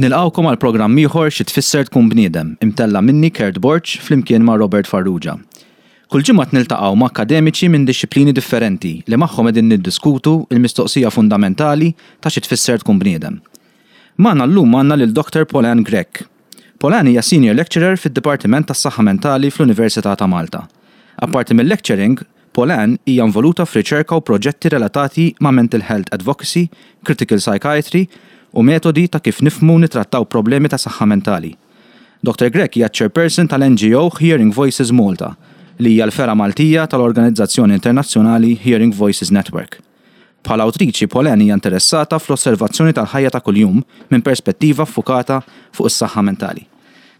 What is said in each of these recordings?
Nilqgħukom għal programm ieħor Xi Tfisser Tkun Bniedem, imtella' minni Kurt Borg flimkien ma' Robert Farrugia. Kull ġimgħa niltaqgħu ma' akkademiċi minn dixxiplini differenti li magħhom qegħdin niddiskutu l-mistoqsija fundamentali ta' xi tfisser tkun bniedem. Magħna llum għandna lil Dr. Paulanne Grech. Paulanne hija Senior Lecturer fid-Dipartiment tas-Saħħa Mentali fl-Università ta' Malta. Apparti mill-lecturing, Paulanne hija involuta f'riċerka u proġetti relatati ma' mental health advocacy, critical psychiatry u metodi ta' kif nifhmu u nitrattaw problemi ta' saħħa mentali. Dr. Grech hija chairperson tal-NGO Hearing Voices Malta, li hija l-fergħa Maltija tal-organizzazzjoni internazzjonali Hearing Voices Network. Bħala awtriċi, Paulanne hija interessata fl-osservazzjoni tal-ħajja ta' kuljum minn perspettiva ffukata fuq is-saħħa mentali.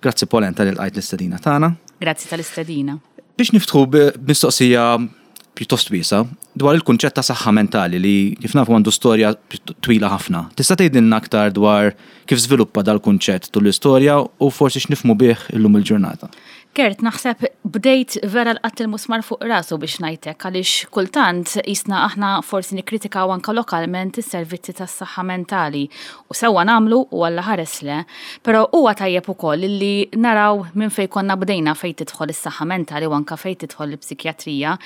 Grazzi, Paulanne, talli lqajt l-istedina tagħna. Grazzi tal-istedina. Biex niftħu b'mistoqsija pjuttost wiesgħa dwar il-kunċett ta' saħħa mentali li, kif nafu, għandu storja twila ħafna. Tista' tgħidilna aktar dwar kif żviluppa dal-kunċett tul l-istorja u forsi x'nifhmu bih illum il-ġurnata? Kurt, naħseb bdejt vera lqatt il-musmar fuq rasu biex ngħidlek, għaliex kultant jisna aħna forsi nikkritikaw anka lokalment is-servizzi tas-saħħa mentali u sewwa nagħmlu u Alla ħares le, però huwa tajjeb ukoll li naraw minn fejn konna bdejna fejn tidħol is-saħħa mentali u anka fejn tidħol il-psikjatrija,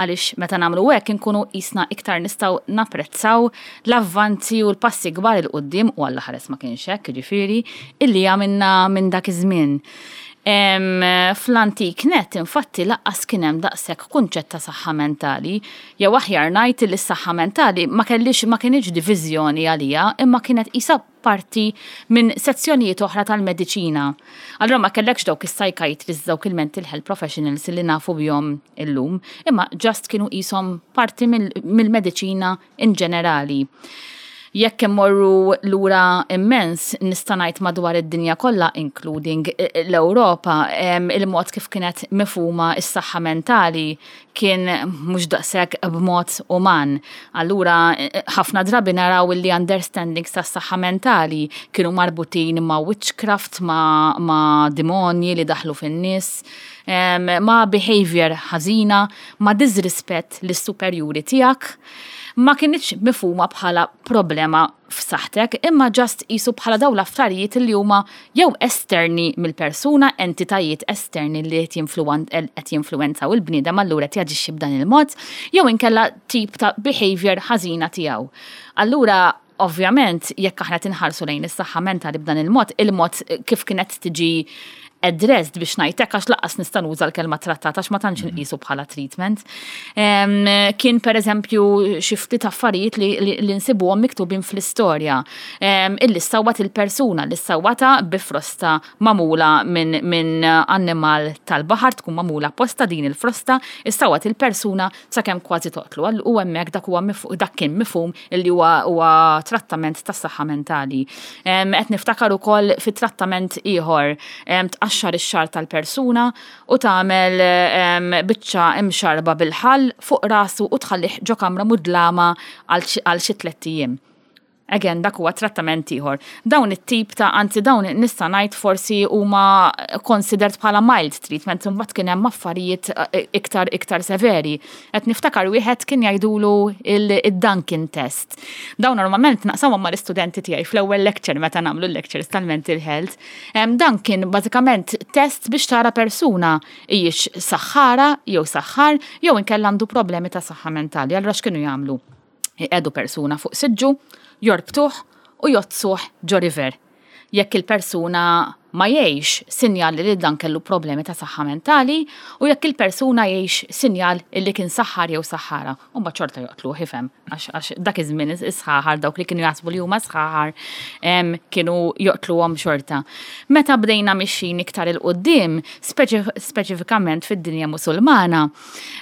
għaliex meta nagħmlu hekk inkunu qisna iktar nistgħu napprezzaw l-avvanzi u l-passi kbar 'il quddiem, u Alla ħares ma kienx hekk, jiġifieri, illi għamilna minn dak iż-żmien. Fl-antik net, infatti, lanqas kien hemm daqshekk kunċett ta' saħħa mentali, jew aħjar ngħid li s-saħħa mentali ma kellix ma kinitx diviżjoni għalija, imma kienet qisha parti minn sezzjonijiet oħra tal-mediċina. Allura ma kellekx dawk is-psychiatrists, dawk il-mental health professionals li nafu bihom illum, imma just kienu qishom parti mill-mediċina in ġenerali. Jekk immorru lura immens, nista' ngħid madwar id-dinja kollha, including l-Ewropa, il-mod kif kienet mifhuma s-saħħa mentali kien mhux daqshekk b'mod uman. Allura ħafna drabi naraw li understandings tas-saħħa mentali kienu marbutin ma' witchcraft, ma' demonji li daħlu fin-nies, ma' behavior ħażina, ma' disrispett lis-superjuri tiegħek. Ma kinitx mifhuma bħala problema f'saħħtek, imma just qisu bħala dawn l-affarijiet li huma jew esterni mill-persuna, entitajiet esterni li qed jinfluwenzaw il-bniedem, allura qed jaġixxi b'dan il-mod, jew inkella tip ta' behavior ħażina tiegħu. Allura, ovvjament, jekk aħna tinħarsu lejn is-saħħa mentali b'dan il-mod, il-mod kif kienet tiġi addressed, biex ngħidlek, għax lanqas nista' nuża l-kelma trattata għax ma tantx nqisu bħala treatment. Kien per eżempju xi ftit affarijiet li nsibuhom miktubin fl-istorja. Illi ssawwat il-persuna, li ssawwata bi frosta magħmula minn annimal tal-baħar, tkun magħmula apposta din il-frosta, issawwat il-persuna sakemm kważi toqtlu. U hemmhekk dak kien mifhum illi huwa trattament tas-saħħa mentali. Qed niftakar ukoll fit-trattament ieħor, tqaxxar ix-xagħar tal-persuna u tagħmel biċċa imxarba bil-ħall fuq rasu u tħallih ġo kamra mudlama għal xi 3 ijiem. Again, dak huwa trattament ieħor. Dawn it-tip ta', anzi, dawn nista' ngħid forsi huma considered bħala mild treatment, imbagħad kien hemm affarijiet iktar iktar severi. Qed niftakar wieħed kien jgħidulu il-Duncan test. Dawn normalment naqsamhom mal-istudenti tiegħi fl-ewwel lecture meta nagħmlu lectures tal-mental health. Dan kien bażikament test biex tara persuna hijiex saħħara jew saħħar jew inkella għandu problemi ta' saħħa mentali. Allura x'kienu jagħmlu? Iqiegħdu persuna fuq siġġu, jorbtuh u jgħoddsuh ġo river. Jekk il-persuna ma jgħix, sinjal li dan kellu problemi ta' saħħa mentali, u jekk il-persuna jgħix, sinjal li kien saħħar jew saħħara. U ma ċorta joqtlu, ifhem, għax dak iż-żmien is-sħaħar, dawk li kienu jaħsbu li huma sħaħar, kienu joqtluhom xorta. Meta bdejna mixin iktar 'il quddiem, speċifikament fid-dinja Musulmana,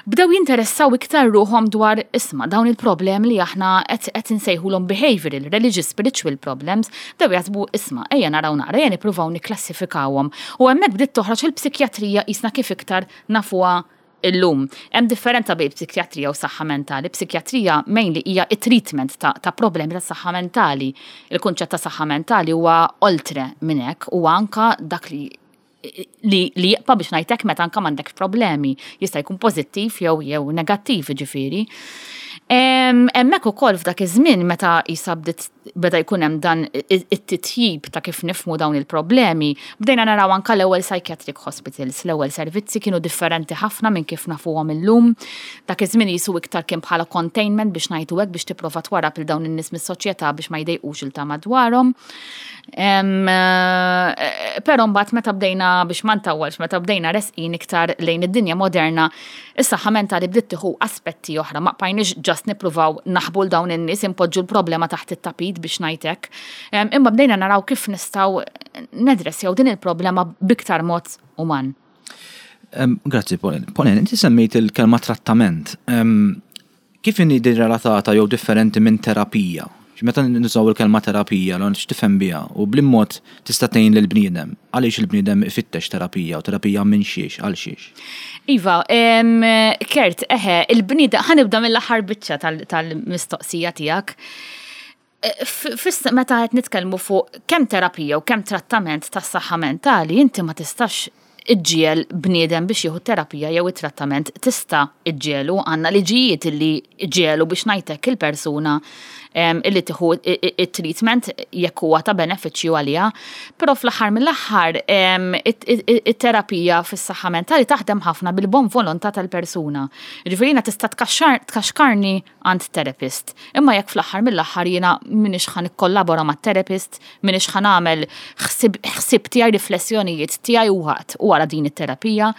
bdew jinteressaw iktar ruħhom dwar, isma', dawn il-problemi li aħna qed insejħulhom behavioral, religious, spiritual problems, bdew jaħsbu, isma', ejja naraw naqra, ejja nippruvaw nikklassifikawhom. U hemmhekk bdiet toħroġ il-psikjatrija qisna kif iktar nafuha illum. Hemm differenza bejn psikjatrija u saħħa mentali. Psikjatrija mainly hija it-treatment ta' problemi ta' saħħa mentali. Il-kunċett ta' saħħa mentali huwa oltre minn hekk, huwa anka dak li li li jibqa' biex ngħidlek meta anke m'għandekx problemi. Jista' jkun pożittiv jew jew negattiv ġifieri. Hemmhekk ukoll f'dak iż-żmien meta qisha bdiet beda jkun hemm dan it-titjib ta' kif nifhmu dawn il-problemi, bdejna naraw anke l-ewwel psychiatric hospitals, l-ewwel servizzi kienu differenti ħafna minn kif nafuhom illum. Dak iż-żmien qisu iktar kien bħala containment biex ngħidu hekk biex tipprova twarrab lil dawn in-nies mis-soċjetà biex ma jdejqux il ta' madwarhom. Però mbagħad meta bdejna biex ma ntawwalx, meta bdejna resqin iktar lejn id-dinja moderna, is-saħħa mentali bdiet tieħu aspetti oħra, ma bqajniex just nippruvaw naħbu 'l dawn in-nies, inpoġġu l-problema taħt it-tapit biex ngħid hekk. Imma bdejna naraw kif nistgħu nedressjaw din il-problema b'iktar mod uman. Grazzi, Pauline. Pauline, inti semmejt il-kelma trattament. Kif inhi din relatata jew differenti minn terapija? Meta nużaw il-kelma terapija, l x'tifhem biha u b'liem mod tista' tgħin lill-bniedem? Għaliex il-bniedem ifittex terapija u terapija minn xiex, għal xiex? Iva, Kurt, eħe, il-bniedem, ħa nibda mill-aħħar biċċa tal-mistoqsija tiegħek. Meta qed nitkellmu fuq kemm terapija u kemm trattament tas-saħħa mentali, inti ma tistax iġġiegħel bniedem biex jieħu terapija jew it-trattament, tista' iġġiegħlu, għandna liġijiet illi ġiegħlu biex ngħidlek il-persuna illi tieħu it-treatment jekk huwa ta' benefiċċju għaliha, però fl-aħħar mill-aħħar it-terapija fis-saħħa mentali taħdem ħafna bil-bon volontà tal-persuna. Jiġifieri jiena tista' tkaxkarni għand therapist. Imma jekk fl-aħħar mill-aħħar jiena m'iniex ħa nikkollabora mat-therapist, m'iniex ħa nagħmel ħsieb tiegħi, riflessjonijiet tiegħi waqt u wara din it-terapija,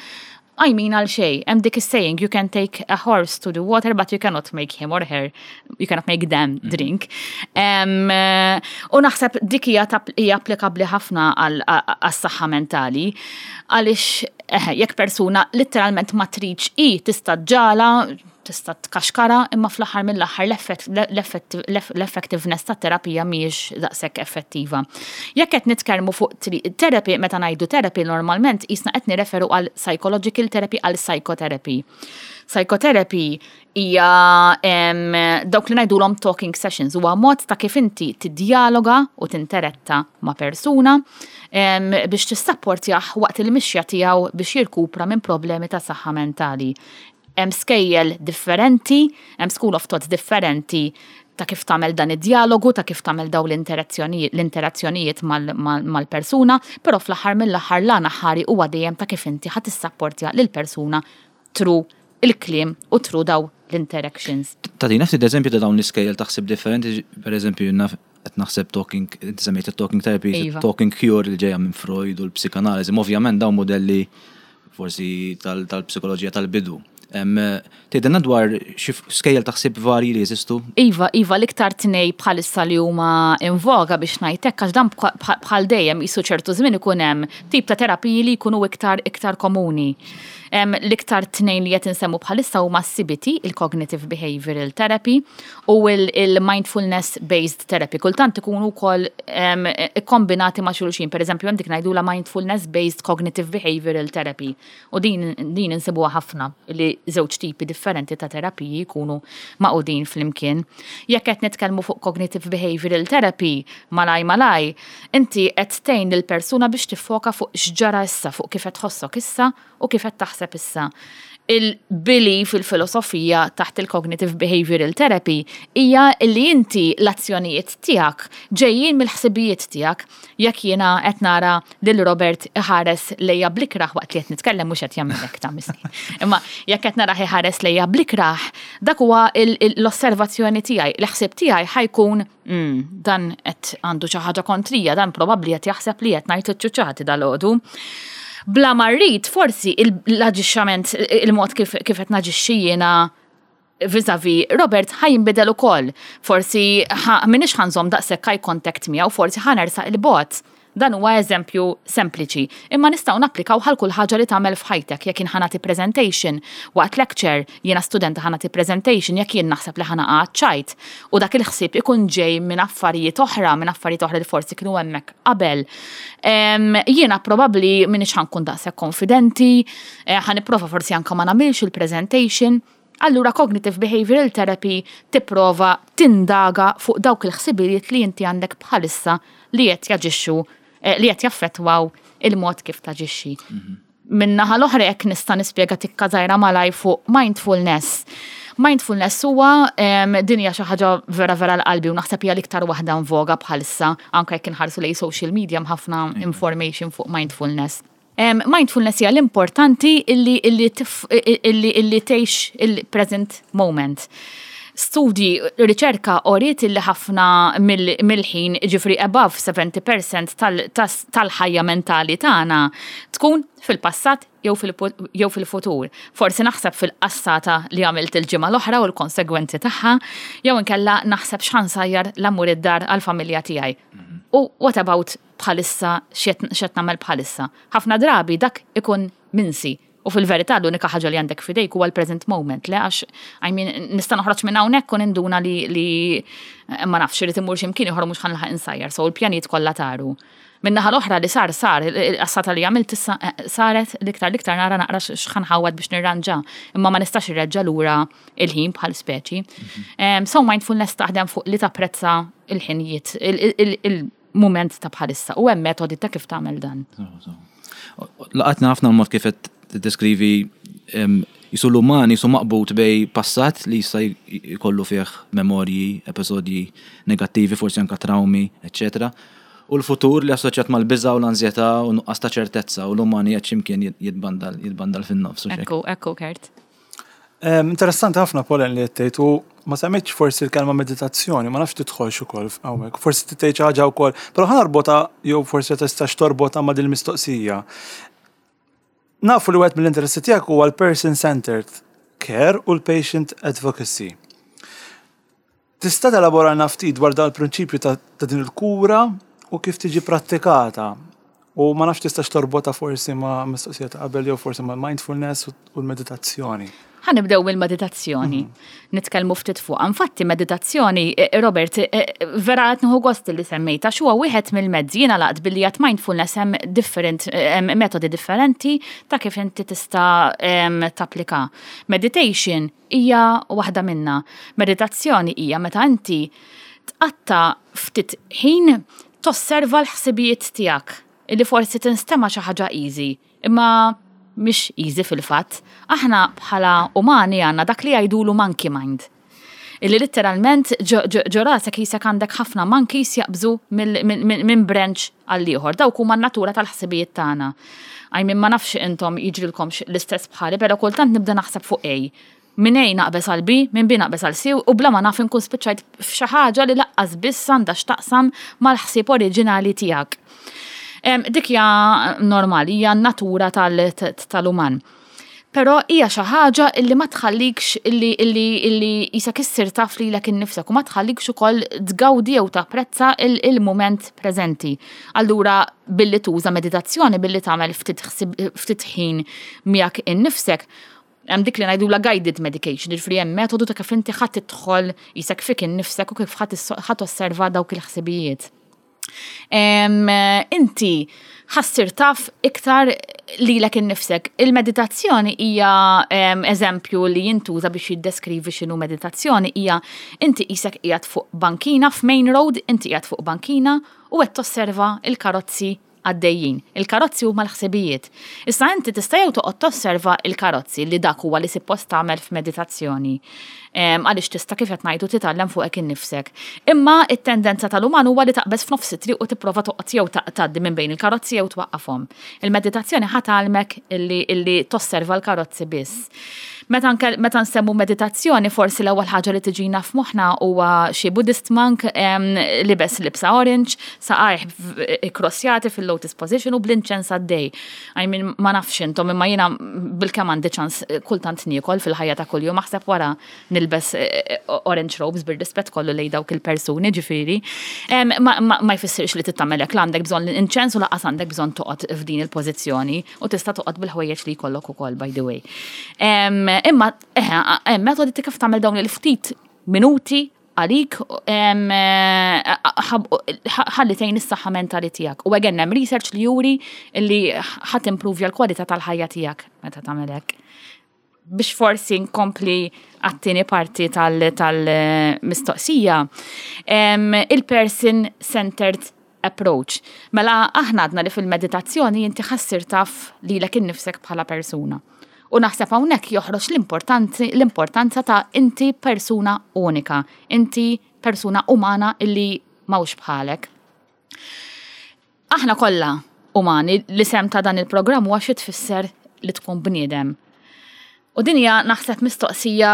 I mean għal xejn. Hemm dik is-saying, you can take a horse to the water but you cannot make him or her, you cannot make them drink. U naħseb dik hija applikabbli ħafna għas-saħħa mentali għaliex jekk persuna litteralment ma tridx hi tista' ġġagħalha, tista' tkaxkara, imma fl-aħħar mill-aħħar l-effectiveness tat-terapija mhijiex daqshekk effettiva. Jekk qed nitkellmu fuq therapy, meta ngħidu therapy normalment qisna qed nirreferu għal psychological therapy, għal psychotherapy. Psychotherapy hija dawk li ngħidulhom talking sessions, huwa mod ta' kif inti tiddialoga u tinteretta ma' persuna biex tissapportjah waqt il-mixja tiegħu biex jirkupra minn problemi ta' saħħa mentali. Hemm skejjel differenti, hemm school of thoughts differenti ta' kif tagħmel dan id-dialogu, ta' kif tagħmel daw l-interazzjonijiet mal-persuna, però fl-aħħar mill-aħħar l-għan aħħari huwa dejjem ta' kif inti ħa tissapportja lill-persuna through il-kliem u through daw l-interactions. Tagħtina ftit eżempju ta' dawn l-iskejjel taħsib differenti, per eżempju, qed naħseb talking, inti semmejt talking therapy, talking cure li ġejja minn Freud u l-psikanaliżi, ovvjament dawn modelli forsi tal-psikoloġija tal-bidu. Tgħidilna dwar xi skejjel taħsib varji li jeżistu? Iva, l-iktar tnej bħalissa li huma in voga biex ngħidlek, għax dan bħal dejjem jisu ċertu żmien ikun hemm tip ta' terapiji li jkunu iktar iktar komuni. L-iktar tnejn li qed insemmu bħalissa huma CBT, il-Cognitive Behavioral Therapy, u il-Mindfulness Based Therapy. Kultant ikunu wkoll ikkombinati ma' xulxin, per eżempju hemm dik ngħidula Mindfulness Based Cognitive Behavioral Therapy. U din insibuha ħafna li żewġ tipi differenti ta' terapiji jkunu magħqudin flimkien. Jekk qed nitkellmu fuq Cognitive Behavioral Therapy, malaj malaj, inti qed tgħin lill-persuna biex tiffoka fuq x'ġara issa, fuq kif qed tħossok issa u kif qed taħseb issa. Il-belief, il-filosofija taħt il-Cognitive Behavioral Therapy hija li inti l-azzjonijiet tiegħek ġejjin mill-ħsibijiet tiegħek. Jekk jiena qed nara lil Robert iħares lejja blikraħ waqt li qed nitkellem, mhux qed jagħmel hekk ta' miskin. Imma jekk qed narah iħares lejja blikraħ, dak huwa l-osservazzjoni tiegħi. L-ħsieb tiegħi ħa jkun dan qed għandu xi ħaġa kontrija, dan probabbli qed jaħseb li qed ngħid iċ-ċuċati dalgħodu. Bla ma rrid, forsi l-aġixxament, il-mod kif qed naġixxi jiena vis-a-vis Robert ħa jinbidel ukoll. Forsi m'iniex ħa nżomm daqshekk eye contact miegħu, forsi ħa nersaq il-bogħod. Dan huwa eżempju sempliċi, imma nistgħu napplikaw għal kull ħaġa li tagħmel f'ħajtek. Jekk jien ħa nagħti presentation waqt lecture, jiena studenta ħa nagħti presentation, jekk jien naħseb li ħa naqa' ċajt u dak il-ħsieb ikun ġej minn affarijiet oħra, minn affarijiet oħra li forsi kienu hemmhekk qabel. Jiena probabbli m'iniex ħa nkun daqshekk konfidenti, ħa nipprova forsi anke ma nagħmilx il-presentation. Allura cognitive behavioral therapy tipprova tindaga fuq dawk il-ħsibijiet li inti għandek bħalissa li qed jaġixxu. li qed jaffettwaw il-mod kif taġixxi. Min-naħa l-oħra jekk nista' nispjega tikka żgħira malaj fuq mindfulness. Mindfulness huwa din hija xi ħaġa vera vera l-qalbi u naħseb hija l-iktar waħda voga bħalissa anke jekk inħarsu lejn social media hemm ħafna information fuq mindfulness. Mindfulness hija l-importanti illi illi illi illi tgħix il-present moment. Studji, riċerka uriet illi ħafna mill-ħin, ġifri above 70% tal-ħajja mentali tagħna tkun fil-passat jew fil-futur. Forsi naħseb fil-qassata li għamilt il-ġimgħa l-oħra u l-konsegwenzi tagħha, jew inkella naħseb x'ħa nsajjar la mmur id-dar għall-familja tiegħi. U what about bħalissa x'qed nagħmel bħalissa? Ħafna drabi dak ikun minsi. U fil-verità l-unika ħaġa li għandek f'idejk huwa l-present moment, le għax I mean, nista' noħroġ minn hawnhekk u ninduna li ma nafx irid imur x'imkien ieħor mhux ħa nilħaq insajjar, so l-pjanijiet kollha taru. Min-naħa l-oħra li sar sar, il-qassata li għamilt issa saret l-iktar l-iktar nara naqra x'ħa nħawwad biex nirranġa, imma ma nistax irreġġa lura il-ħin bħal speċi. So mindfulness taħdem fuq li tapprezza il-ħinijiet, il-mument ta' bħalissa u hemm metodi ta' kif tagħmel dan. Laqatna ħafna l-mod kif qed tiddeskrivi jisu l-uman jisu maqbut bejn passat li jista' jkollu fih memorji, episodji negattivi, forsi anka traumi, eccetera. U l-futur li assoċjat mal-biża u l-anzjetà u nuqqas ta' ċertezza u l-uman qed x'imkien jitbandal fin-nofs. Ekku, ekku, Kurt. Interessanti ħafna Pauline li qed u ma semmitx forsi l-kelma meditazzjoni, ma nafx tidħolx ukoll hawnhekk. Forsi tgħid xi ħaġa wkoll, però ħa narbotha jew forsi tistax torbotha ma' din il-mistoqsija. Nafu li wieħed mill-interessi tiegħek huwa l-person-centered care u l-patient advocacy. Tista' telaboralna ftit dwar dan il-prinċipju ta' din il-kura u kif tiġi prattikata? U ma nafx tistax torbotha forsi ma' mistoqsija ta' qabel jew forsi ma' mindfulness u l-meditazzjoni. Ħa nibdew mill-meditazzjoni. Nitkellmu ftit fuq. Infatti meditazzjoni, Robert, vera qed nieħu gost li semmejta x'huwa wieħed mill-mezzi jiena laqt billi għat mindfulness hemm different metodi differenti ta' kif inti tista' tapplika. Meditation hija waħda minna. Meditazzjoni hija meta inti tqatta' ftit ħin tosserva l-ħsibijiet tiegħek illi forsi tinstema' xi ħaġa easy, imma mhix easy fil-fatt. Aħna bħala umani għandna dak li jgħidulu monkey mind. Illi letteralment ġo rasek jisek għandek ħafna monkeys jaqbżu minn branch għall-ieħor. Dawk huma n-natura tal-ħsibijiet tagħna. I mean, ma nafx intom jiġrilkomx l-istess bħali, però kultant nibda naħseb fuq A. Minn A naqbeż għal B, minn B naqbeż għal C u bla ma naf inkun spiċċajt f'xi ħaġa li laqqas biss għandha x'taqsam mal-ħsieb oriġinali tiegħek. Dik hija normali, hija n-natura tal-uman. Però hija xi ħaġa illi ma tħallikx illi illi illi jisek issir taf lilek innifsek u ma tħallikx ukoll tgawdi jew tapprezza il-mument preżenti. Allura billi tuża meditazzjoni, billi tagħmel ftit ftit ħin miegħek innifsek, hemm dik li ngħidula guided medication, jiġifieri hemm metodu ta' kif inti ħadd tidħol jisek fik innifsek u kif ħadd tosserva dawk il-ħsibijiet. Inti ħa ssir taf iktar lilek innifsek. Il-meditazzjoni hija eżempju li jintuża biex jiddeskrivi x'inhu meditazzjoni hija inti qisek qiegħed fuq bankina f'main road, inti qiegħed fuq bankina u qed tosserva il-karozzi għaddejjin. Il-karozzi huma l-ħsibijiet. Issa inti tista' jew toqgħod tosserva il-karozzi li dak huwa li suppost tagħmel f'meditazzjoni. Għaliex tista' kif qed ngħidu titgħallem fuqek innifsek. Imma it-tendenza tal-uman huwa li taqbeż f'nofs it-triq u tipprova toqgħod jew tgħaddi minn bejn il-karozzi jew twaqqafhom. Il-meditazzjoni ħa tgħallmek illi, illi tosserva l-karozzi biss. Meta, meta nsemmu meditazzjoni, forsi l-ewwel ħaġa li tiġina f'moħħna huwa xi Buddhist monk libes libsa orange, saqajh ikkrossjati fil-lotus position u bl-inċens għaddej. I mean, ma nafx intom, imma jiena bilkemm għandi ċans kultant niekol fil-ħajja ta' kuljum, aħseb wara nilbes orange robes bir-rispett kollu lejn dawk il-persuni ġifieri. Ma, ma, ma jfissirx li tittamel hekk la għandek bżonn l-inċens u lanqas għandek bżonn toqgħod f'din il-pożizzjoni u tista' toqgħod bil-ħwejjeġ li jkollok ukoll by the way. Imma eħe, hemm metodi ta' kif tagħmel dawn il-ftit minuti għalik ħalli tgħin is-saħħa mentali tiegħek. U again hemm research li juri li ħa timprovja l-kwalità tal-ħajja tiegħek meta tagħmel hekk. Biex forsi nkompli għat-tieni parti tal-mistoqsija, il-person-centered. approach. Mela aħna għadna li fil-meditazzjoni inti ħa ssir taf lilek innifsek bħala persuna. U naħseb hawnhekk joħroġ l-importanza ta' inti persuna unika, inti persuna umana illi m'hawnx bħalek. Aħna kollha umani, l-isem ta' dan il-programm huwa xi tfisser li tkun bniedem. U din hija naħseb mistoqsija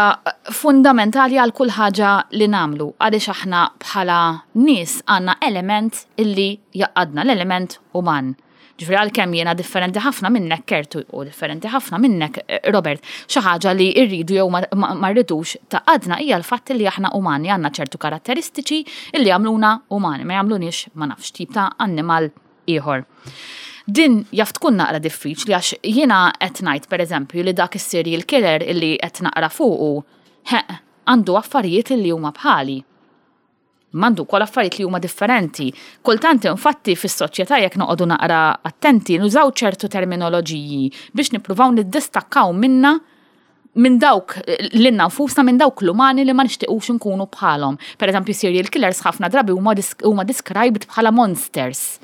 fundamentali għal kull ħaġa li nagħmlu, għaliex aħna bħala nies għandna element illi jgħaqqadna, l-element uman. Ġifieri għalkemm jiena differenti ħafna minnek Kurt u differenti ħafna minnek Robert, xi ħaġa li rridu jew ma rridux tgħaqqadna hija l-fatt li aħna umani, għandna ċertu karatteristiċi illi jagħmluna umani, ma jagħmluniex ma nafx tip ta' annimal ieħor. Din jaf tkun naqra diffiċli għax jiena qed ngħid pereżempju li dak is-serial killer illi qed naqra fuqu, ħeq, għandu affarijiet illi huma bħali. M'għandu wkoll affarijiet li huma differenti. Kultant infatti fis-soċjetà jekk noqogħdu naqra attenti nużaw ċertu terminoloġiji biex nippruvaw niddistakkaw minna minn dawk lilna nfusna minn dawk l-umani li ma nixtiequx nkunu bħalhom. Per eżempju, serial killers ħafna drabi huma described bħala monsters.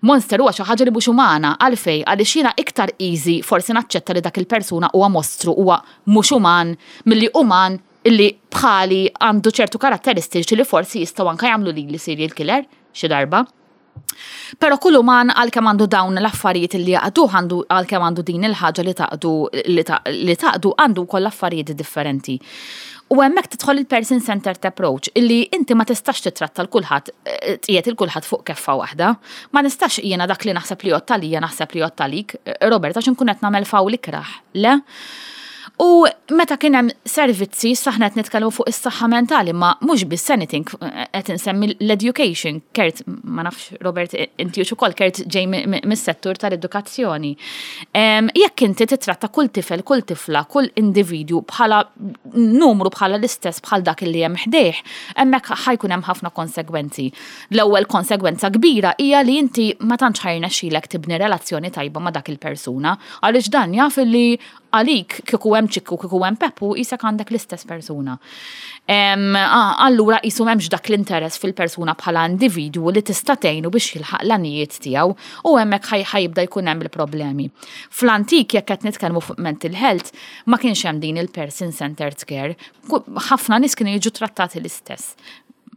Monster huwa xi ħaġa li mhux umana, għalfejn? Għaliex jiena iktar easy forsi naċċetta li dak il-persuna huwa mostru, huwa mhux uman, milli uman illi bħali għandu ċertu karatteristiċi li forsi jistgħu anke jagħmlu lili serial killer xi darba. Però kull uman għalkemm għandu dawn l-affarijiet li jgħaqqduh, għandu għalkemm għandu din il-ħaġa li tgħaqqdu li tgħaqqdu għandu wkoll affarijiet differenti. U hemmhekk tidħol il-person centered approach illi inti ma tistax titratta 'l kulħadd tqiegħed il kulħadd fuq keffa waħda. Ma nistax jiena dak li naħseb li jgħodd għalija naħseb li jgħodd għalik, Robert, għax inkun qed nagħmel fawl ikrah. Le? U meta kien hemm servizzi, issa aħna qed nitkellmu fuq is-saħħa mentali, ma mhux biss anything qed insemmi l-education. Kurt, ma nafx Robert, inti ukoll Kurt ġej mis-settur tal-edukazzjoni. Jekk inti titratta kull tifel, kull tifla, kull individwu bħala numru bħala l-istess bħal dak li hemm ħdejh, hemmhekk ħa jkun hemm ħafna konsegwenzi. L-ewwel konsegwenza kbira hija li inti ma tantx ħa jirnexxilek tibni relazzjoni tajba ma' dak il-persuna, għaliex dan jaf li għalik kieku hemm Ċikku, kieku hemm Peppu, qisek għandek l-istess persuna. Allura qisu m'hemmx dak l-interess fil-persuna bħala individwu li tista' tgħinu biex jilħaq l-għanijiet tiegħu u hemmhekk ħa jibda jkun hemm il-problemi. Fl-antik jekk qed nitkellmu fuq mental health, ma kienx hemm din il-person centered care. Ħafna nies kienu jiġu trattati l-istess.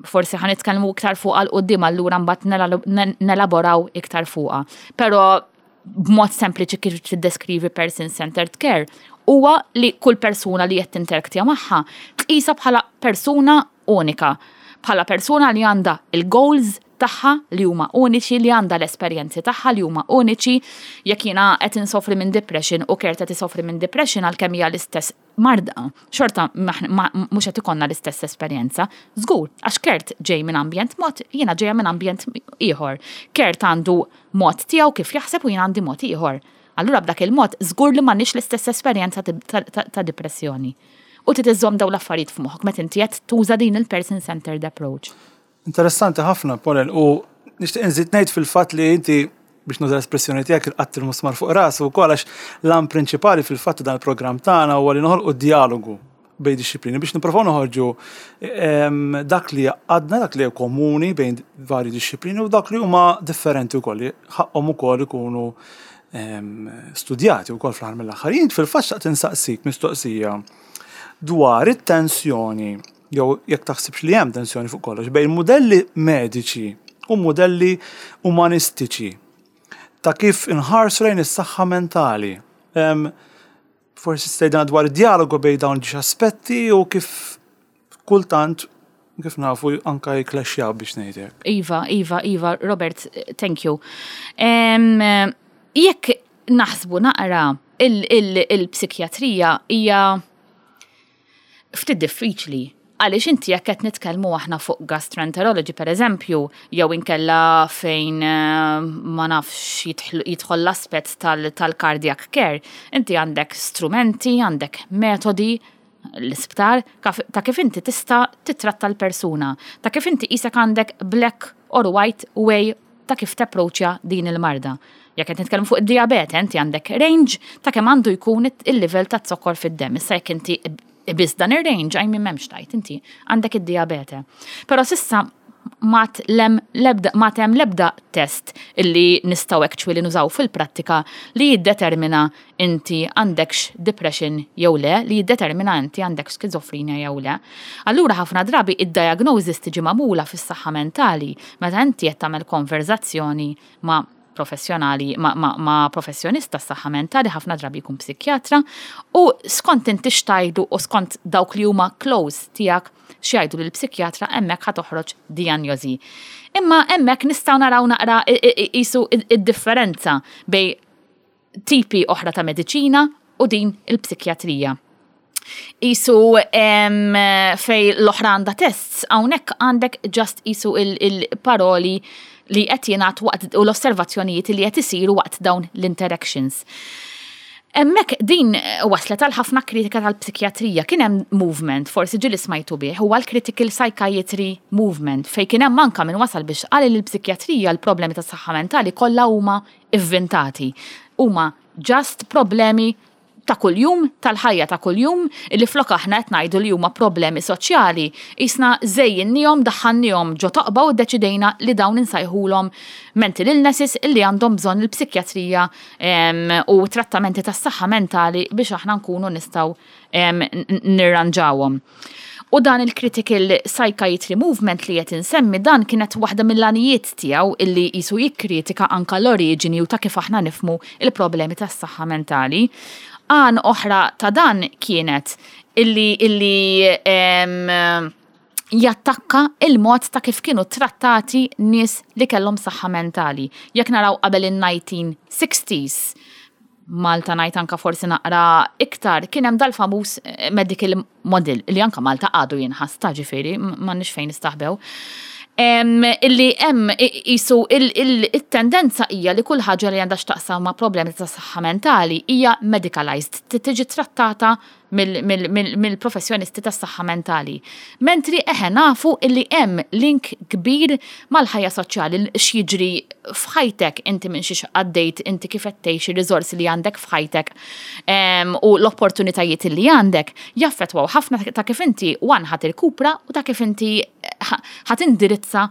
Forsi ħa nitkellmu iktar fuq 'l quddiem allura mbagħad nelaboraw iktar fuqha. Però b'mod sempliċi kif tiddeskrivi person-centered care huwa li kull persuna li qed tinteraktja magħha tqisha bħala persuna unika, bħala persuna li għandha il-goals tagħha li huma uniċi, li għandha l-esperjenzi tagħha li huma uniċi. Jekk jiena qed insofri minn depression u Kurt qed isofri minn depression għalkemm hija l-istess marda, xorta mhux qed ikollna l-istess esperjenza. Żgur, għax Kurt ġej minn ambjent mod, jiena ġejja minn ambjent ieħor. Kurt għandu mod tiegħu kif jaħseb u jiena għandi mod ieħor. Allura b'dak il-mod żgur li m'għandniex l-istess esperjenza ta' depressjoni. U trid iżżomm dawn l-affarijiet f'moħħok meta inti qed tuża din il-person centered approach. Interessanti ħafna, Pauline, u nixtieq inżid ngħid fil-fatt li inti biex nuża l-espressjoni tiegħek il-qatt il-musmar fuq rasu wkoll għax l-għan prinċipali fil-fatt dan il-programm tagħna huwa li noħolqu dialogu bejn dixxiplini biex nipprovaw noħorġu dak li għadna, dak li komuni bejn vari dixxiplini u dak li huma differenti wkoll li ħaqhom ukoll ikunu studjati wkoll fl-aħħar mill-aħħar. Jien fil-fatt xtaqt insaqsik mistoqsija dwar it-tensjoni jew jekk taħsibx li hemm tensjoni fuq kollox bejn modelli mediċi u modelli umanistiċi ta' kif inħarsu lejn is-saħħa mentali. Forsi stejna dwar id-dialogu bejn dawn ġiex aspetti u kif kultant kif nafu anka jiklaxjaw biex ngħidlek. Iva, Iva, Iva, Robert, thank you. Jekk naħsbu naqra il-psikjatrija hija ftit diffiċli. Għaliex inti jekk qed nitkellmu aħna fuq gastroenterology per eżempju, jew inkella fejn ma nafx jidħol l-aspett tal-cardiac care, inti għandek strumenti, għandek metodi l-isptar ta' kif inti tista' titratta l-persuna, ta' kif inti qisek għandek black or white way ta' kif tapproċċja din il-marda. Jekk qed nitkellmu fuq id-diabete, inti għandek range ta' kemm għandu jkun il-livell ta' zokkor fid-demm. Issa jekk inti biss dan ir-range, għaj minn m'hemmx tajt, inti għandek id-diabete. Però s'issa m'għad l-ebda m'għad hemm l-ebda test illi nistgħu actually nużaw fil-prattika li jiddetermina inti għandekx depression jew le, li jiddetermina inti għandek skizofrenja jew le. Allura ħafna drabi id-diagnosis tiġi magħmula fis-saħħa mentali meta inti qed tagħmel konverzazzjoni ma' professjonali, ma', ma, ma professjonista tas-saħħa mentali, ħafna drabi jkun psikjatra, u skont inti x'tgħidu u skont dawk li huma close tiegħek x'jgħidu lill-psikjatra hemmhekk ħa toħroġ dijanjosi. Imma hemmhekk nistgħu naraw naqra qisu id-differenza bejn tipi oħra ta' mediċina u din il-psikjatrija. Qisu fejn l-oħra għandha tests, hawnhekk għandek just qisu il-paroli li qed jingħad waqt u l-osservazzjonijiet li qed isiru waqt dawn l-interactions. Hemmhekk din waslet għal ħafna kritika tal-psikjatrija. Kien hemm movement, forsi ġieli smajtu bih, huwa l-Critical Psychiatry Movement, fejn kien hemm anka min wasal biex qal li l-psikjatrija l-problemi tas-saħħa mentali kollha huma ivvintati. Huma just problemi ta' kuljum, tal-ħajja ta' kuljum, li flok aħna qed ngħidu li huma problemi soċjali, qisna żejjinnihom, daħħalniehom ġo toqba u ddeċidejna li dawn insajħulhom mental illnesses illi għandhom bżonn il-psikjatrija u trattamenti tas-saħħa mentali biex aħna nkunu nistgħu nirranġawhom. U dan il-Critical Psychiatry Movement li qed insemmi dan kienet waħda mill-għanijiet tiegħu illi qisu jikkritika anka l-oriġini u ta' kif aħna nifhmu il-problemi tas-saħħa mentali. Għan oħra ta' dan kienet illi jattakka il-mod ta' kif kienu trattati nies li kellhom saħħa mentali. Jekk naraw qabel in-1960s, Malta ngħid anka forsi naqra iktar, kien hemm dal-famuż medical model li anka Malta għadu jinħass ta' ġifieri, m'għandniex fejn nistaħbew. Illi hemm qisu il-tendenza hija li kull ħaġa li għandha x'taqsam ma' problemi ta' saħħa mentali hija medicalized, tiġi trattata mill-professjonisti tas-saħħa mentali. Mentri eħe nafu illi hemm link kbir mal-ħajja soċjali, x'jiġri f'ħajtek inti minn xiex għaddejt, inti kif qed tgħix, ir-riżorsi li għandek f'ħajtek u l-opportunitajiet li għandek jaffettwaw ħafna ta' kif inti one ħa tirkupra u ta' kif inti ħa tindirizza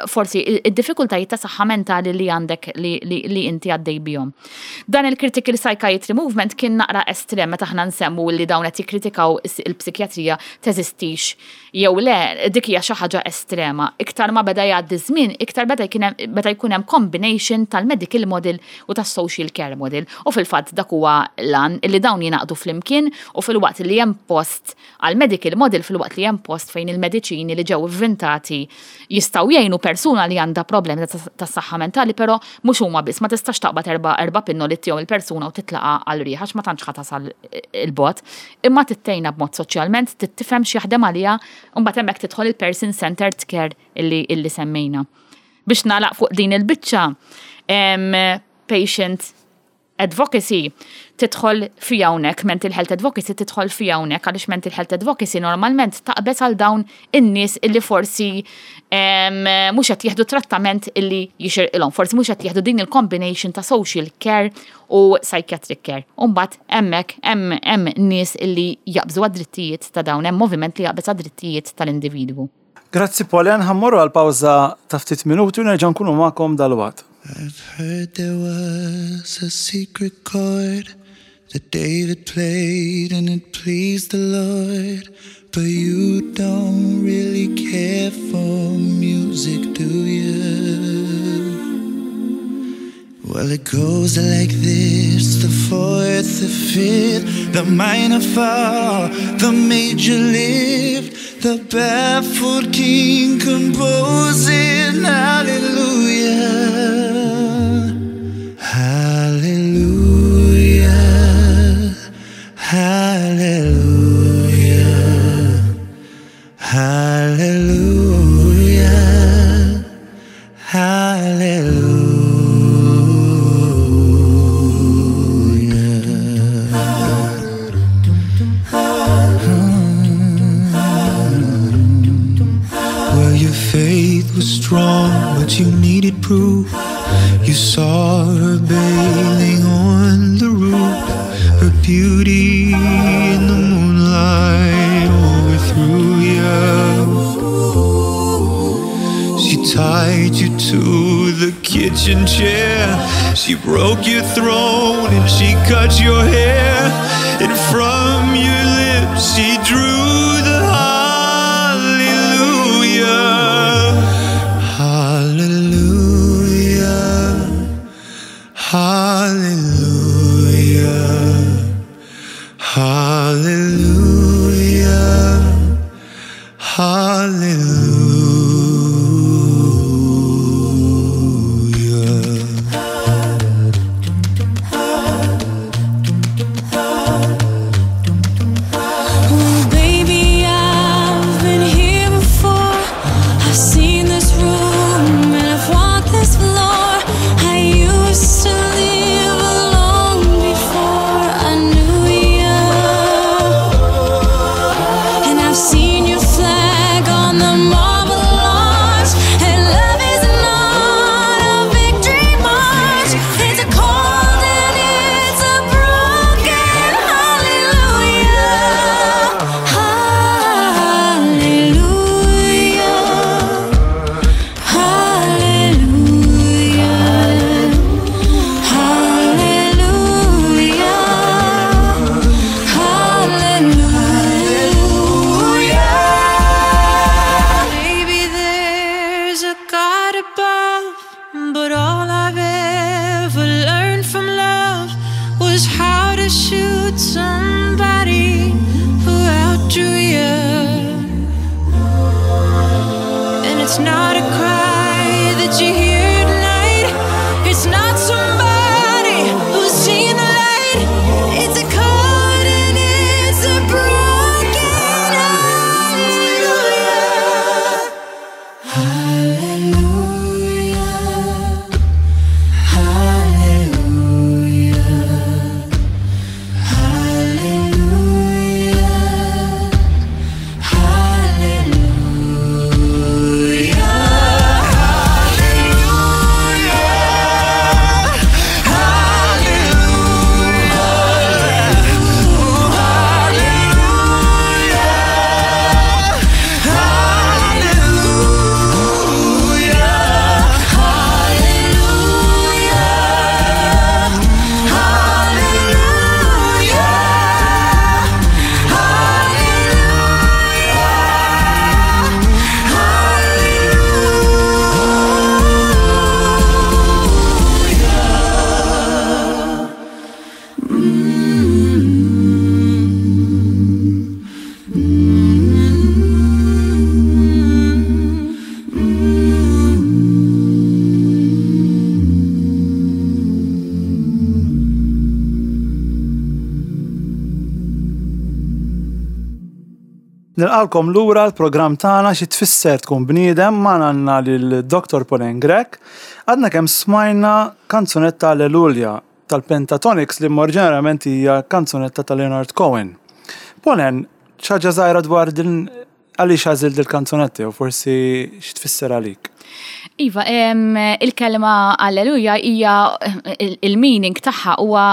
forsi id-diffikultajiet ta' saħħa mentali li għandek li inti għaddej bihom. Dan il-Critical Psychiatry Movement kien naqra estrem meta aħna nsemmu li dawn qed jikkritikaw il-psikjatrija teżistix jew le, dik hija xi ħaġa estrema. Iktar ma beda jgħaddi żmien, iktar beda beda jkun hemm combination tal-medical model u tas-social care model. U fil-fatt dak huwa l-għan li dawn jingħaqdu flimkien u filwaqt li hemm post għal medical model filwaqt li hemm post fejn il-mediċini li ġew ivvintati jistgħu jgħinu persuna li għandha problemi ta' saħħa mentali, però mhux huma biss, ma tistax taqbad erba' pinnoli ttihom il-persuna u titlaqa għal riħ għax ma tantx ħa tasal il-bogħod. Imma tittejna b'mod soċjalment, tifhem x'jaħdem għaliha, u mbagħad hemmhekk tidħol il-person centered care illi semmejna. Biex nagħlaq fuq din il-biċċa, patient advocacy tidħol fi hawnhekk, mental health advocacy tidħol fi hawnhekk għaliex mental health advocacy normalment taqbeż għal dawn in-nies illi forsi mhux qed jieħdu trattament illi jixirqilhom, forsi mhux qed jieħdu din il-combination ta' social care u psychiatric care. U mbagħad hemmhekk hemm nies illi jaqbżu għad-drittijiet ta' dawn, hemm moviment li jaqbeż għad-drittijiet tal-individwu. Grazzi Pauline, ħa mmorru għal pawża ta' ftit minuti u nerġa' nkunu magħkom dalwaqt. I've heard there was a secret chord that David played and it pleased the Lord. But you don't really care for music, do you? Well, it goes like this, the fourth, the fifth, the minor fall, the major lift, the baffled king composing hallelujah, hallelujah, hallelujah, hallelujah, hallelujah. Well, your faith was strong, but you She broke your throne and she cut your hair, and from your lips she drew the hallelujah. Hallelujah. Hallelujah. Hallelujah. Hallelujah. Oh, baby, I've been here before. I've seen this room and I've walked this floor. I used to live alone before I knew you. And I've seen your flag on the marble arch. And love is not a victory march. It's a cold and it's a broken hallelujah. Hallelujah. Hallelujah. Hallelujah. Hallelujah. Maybe there's a God above, but all I've ever learned from love was how to shoot somebody who outdrew you. And it's not a cry that you hear at night. It's not somebody who's seen the light. It's a cold and it's a broken hallelujah. Hallelujah. Hallelujah. Hallelujah. Hallelujah. Nilqalkom lura l-programm tagħna xi tfisser tkun bniedem ma għandna lil Dr. Pauline Grech. Għadna kemm smajna kanzunetta Alleluja tal-Pentatonix li oriġinarjament hija kanzunetta ta' Leonard Cohen. Pauline, ħaġa żgħira dwar din għaliex għażilt il-kanzunetta u forsi xi tfisser għalik. Iva, il-kelma alleluja hija il-meaning tagħha huwa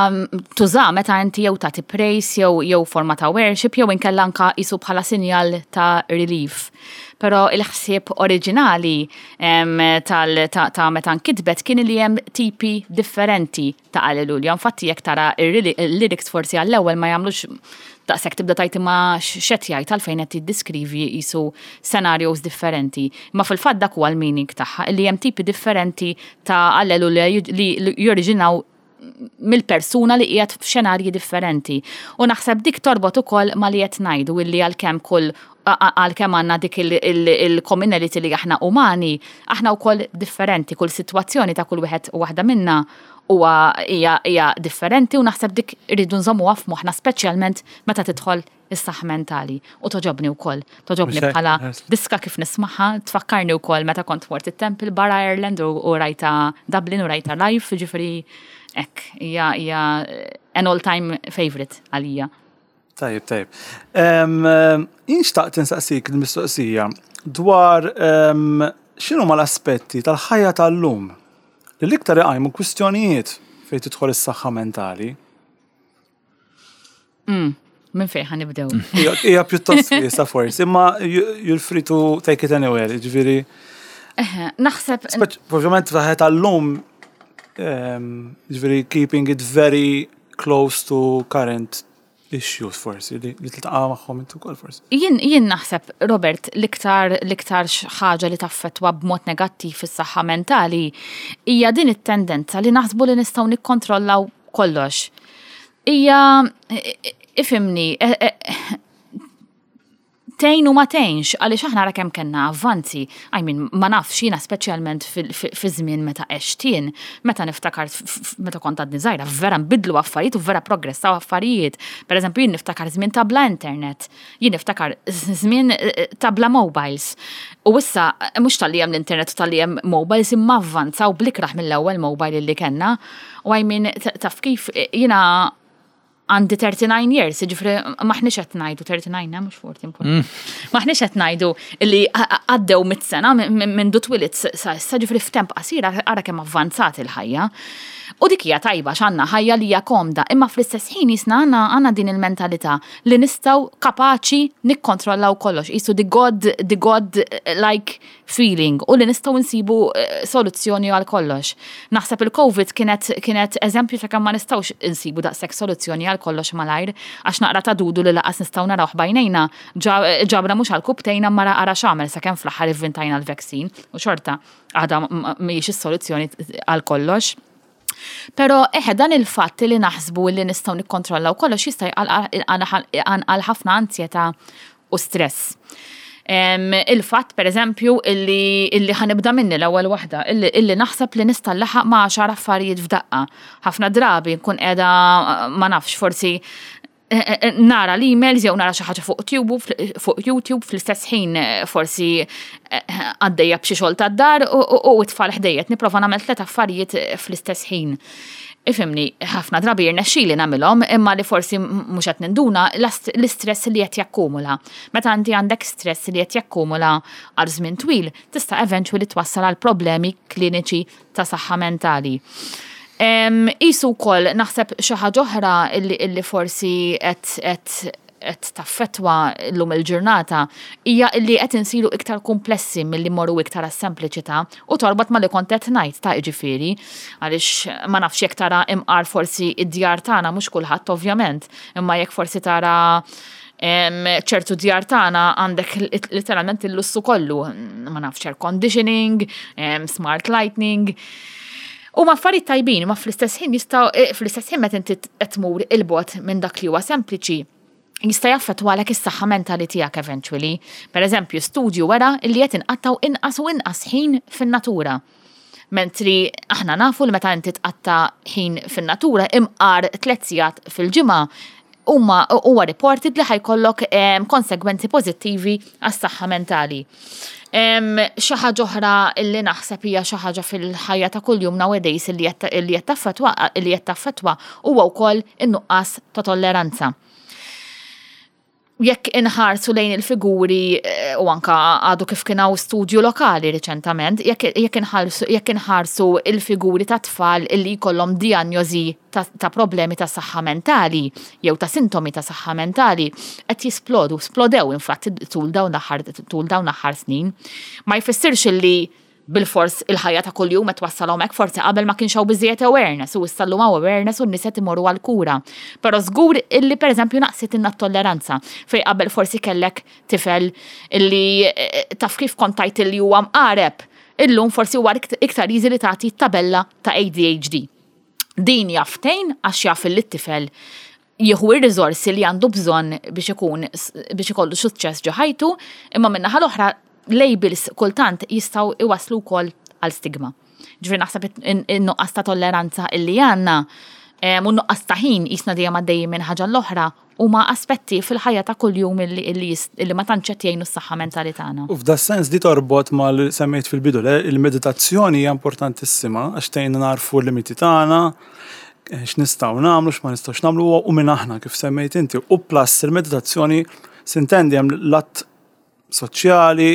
tuża meta inti jew tagħti praise jew forma ta' worship jew inkella anka jisu bħala sinjal ta' relief. Però il-ħsieb oriġinali ta' meta nkitbet kien li hemm tipi differenti ta' alleluja. Infatti jekk tara il-lyrics forsi għall-ewwel ma jagħmlux daqshekk tibda tajt imma x'qed jgħid għalfejn qed jiddeskrivi jisu scenarios differenti. Imma fil-fatt dak huwa l-meaning tagħha li hemm tipi differenti ta' alleluja li joriġinaw mill-persuna li qiegħed f'xenarji differenti. U naħseb dik torbot ukoll ma li qed ngħidu illi għalkemm kull għalkemm għandna dik il-commonality li aħna umani, aħna wkoll differenti, kull sitwazzjoni ta' kull wieħed u waħda minna huwa hija differenti u naħseb dik irridu nżommuha f'moħħna speċjalment meta tidħol is-saħħa mentali. U toġobni wkoll, toġobni bħala diska kif nismaħħa, tfakkarni wkoll meta kont mort it-Temple Bar Ireland u rajta Dublin u rajta live, ġifieri hekk hija an all-time favorite għalija. Tajib, tajib. Jien xtaqt insaqsik il-mistoqsija dwar x'inhuma l-aspetti tal-ħajja tal-lum li l-iktar iqajmu kwistjonijiet fejn tidħol is-saħħa mentali. Minn fejn ħa nibdew? Hija pjuttost wiesgħa forsi, imma you're free to take it anywhere, ġifieri. Naħseb. Ovvjament fil-ħajja tal-lum. Ġifieri keeping it very close to current issues forsi li tiltaqa' magħhom inti wkoll forsi. Jien jien naħseb, Robert, l-iktar l-iktar ħaġa li taffettwa b'mod negattiv is-saħħa mentali hija din it-tendenza li naħsbu li nistgħu nikkontrollaw kollox. Hija ifhimni, e, e, tgħin u ma tgħinx għaliex aħna ara kemm kellna avvanzi. I mean, ma nafx jiena speċjalment fi żmien meta għext jien, meta niftakar meta kont għadni żgħira, vera nbidlu affarijiet u vera progressaw affarijiet. Per eżempju, jien niftakar żmien ta' bla internet, jien niftakar żmien eh, eh, ta' bla mobiles. U issa eh, mhux talli hemm l-internet u talli hemm mobiles imma avvanzaw blikraħ mill-ewwel mobile li kellna. U I mean, taf kif jiena għandi 39 years, ġifri maħniex qed ngħidu 39, eh, mhux 40. Maħniex qed ngħidu li għaddew mit-sena minn du twilit sa issa ġifri f'temp qasir ara kemm avvanzat il-ħajja. U dik hija tajba x'għandna ħajja li hija komda, imma fl-istess ħin jisna għandna għandna din il-mentalità li nistgħu kapaċi nikkontrollaw kollox, qisu the God, the God like feeling u li nistgħu nsibu eh, soluzzjoni għal kollox. Naħseb il-COVID kienet, kienet eżempju ta' kemm ma nistgħux insibu daqshekk soluzzjoni għal kollox malajr għax naqra ta' dudu li laqas nistgħu narawh bajnejna ġabra mhux għal kubtejna mara ara x'għamel sakemm fl-aħħar ivvintajna l-vaccine u xorta għadha mhijiex is-soluzzjoni għal kollox. Pero eħe dan il-fatt li naħsbu li nistgħu nikkontrollaw kollox jista' jqanqal ħafna anzjetà u stress. Il-fatt, per eżempju, illi, illi ħanibda minni l-ewwel waħda, illi, illi naħseb li nista' nlaħaq ma' għaxar affarijiet f'daqqa. Ħafna drabi nkun qiegħda ma nafx forsi eh, eh, eh, nara l-emails jew nara xi ħaġa fuq YouTube, fuq YouTube fl-istess ħin forsi għaddejja b'xi xogħol tad-dar u t-tfal ħdejjet nipprova nagħmel tliet affarijiet fl-istess ħin. Ifhimni, ħafna drabi jirnexxili nagħmilhom, imma li forsi mhux qed ninduna l-istress li qed jakkumula. Meta inti għandek stress li qed jakkumula għal żmien twil, tista' eventually twassal għal problemi kliniċi ta' saħħa mentali. Qisu wkoll naħseb xi ħaġa oħra illi forsi qed qed taffettwa llum il-ġurnata hija illi qed insiru iktar kumplessi milli mmorru iktar għas-sempliċità u torbot ma' li kont qed ngħid ta' jiġifieri għaliex ma nafx jekk tara imqar forsi d-djar tagħna mhux kulħadd ovvjament imma jekk forsi tara ċertu djar tagħna għandek literalment il-lussu kollu, ma nafx air conditioning, smart lightning. Huma affarijiet tajbin, imma fl-istess ħin jistgħu eh, fl-istess ħin meta inti qed tmur il-bogħod minn dak li huwa sempliċi, jista' jaffettwalek is-saħħa mentali tiegħek eventually. Per eżempju, studju wera li qed inqattgħu inqas u inqas ħin fin-natura. Mentri aħna nafu li meta inti tqatta' ħin fin-natura imqar tliet sigħat fil-ġimgħa huma huwa reported li ħa jkollok konsegwenzi pożittivi għas-saħħa mentali. Xi ħaġa oħra li naħseb hija xi ħaġa fil-ħajja ta' kuljum nowadays li qed taffettwa li qed taffettwa huwa wkoll in-nuqqas ta' tolleranza. Jekk inħarsu lejn il-figuri eh, u anka għadu kif kien hawn studju lokali riċentament, jekk jekk inħarsu il-figuri ta' tfal illi jkollhom dijanjosi ta', ta problemi ta' saħħa mentali jew ta' sintomi ta' saħħa mentali qed jisplodu, splodew infatti tul dawn l-aħħar tul dawn l-aħħar snin. Ma jfissirx illi bilfors il-ħajja ta' kuljum qed twassalhom hekk, forsi qabel ma kienx hawn biżżejjed awareness u issa llum hawn awareness u n-nies qed imorru għall-kura. Però żgur illi pereżempju naqsitilna t-tolleranza fejn qabel forsi kellek tifel illi taf kif kont tgħid illi huwa mqareb, illum forsi huwa iktar easy li tagħti tabella ta' ADHD. Din jaf tgħin għax jaf illi t-tifel jieħu r-riżorsi li għandu bżonn biex ikun biex ikollu suċċess ġo ħajtu, imma min-naħa l-oħra labels kultant jistgħu iwasslu wkoll għal stigma. Ġifieri naħseb in-nuqqas ta' tolleranza illi għandna u n-nuqqas ta' ħin qisna dejjem għaddejjin minn ħaġa l-oħra huma aspetti fil-ħajja ta' kuljum illi ma tantx qed jgħinu s-saħħa mentali tagħna. U f'da sens di torbot ma li semmejt fil-bidu, il-meditazzjoni hija importantissima għax tgħinna narfu l-limiti tagħna, x'nistgħu nagħmlu, x'ma nistgħux nagħmlu u minn aħna kif semmejt inti. U plus il-meditazzjoni sintendi hemm l-att soċjali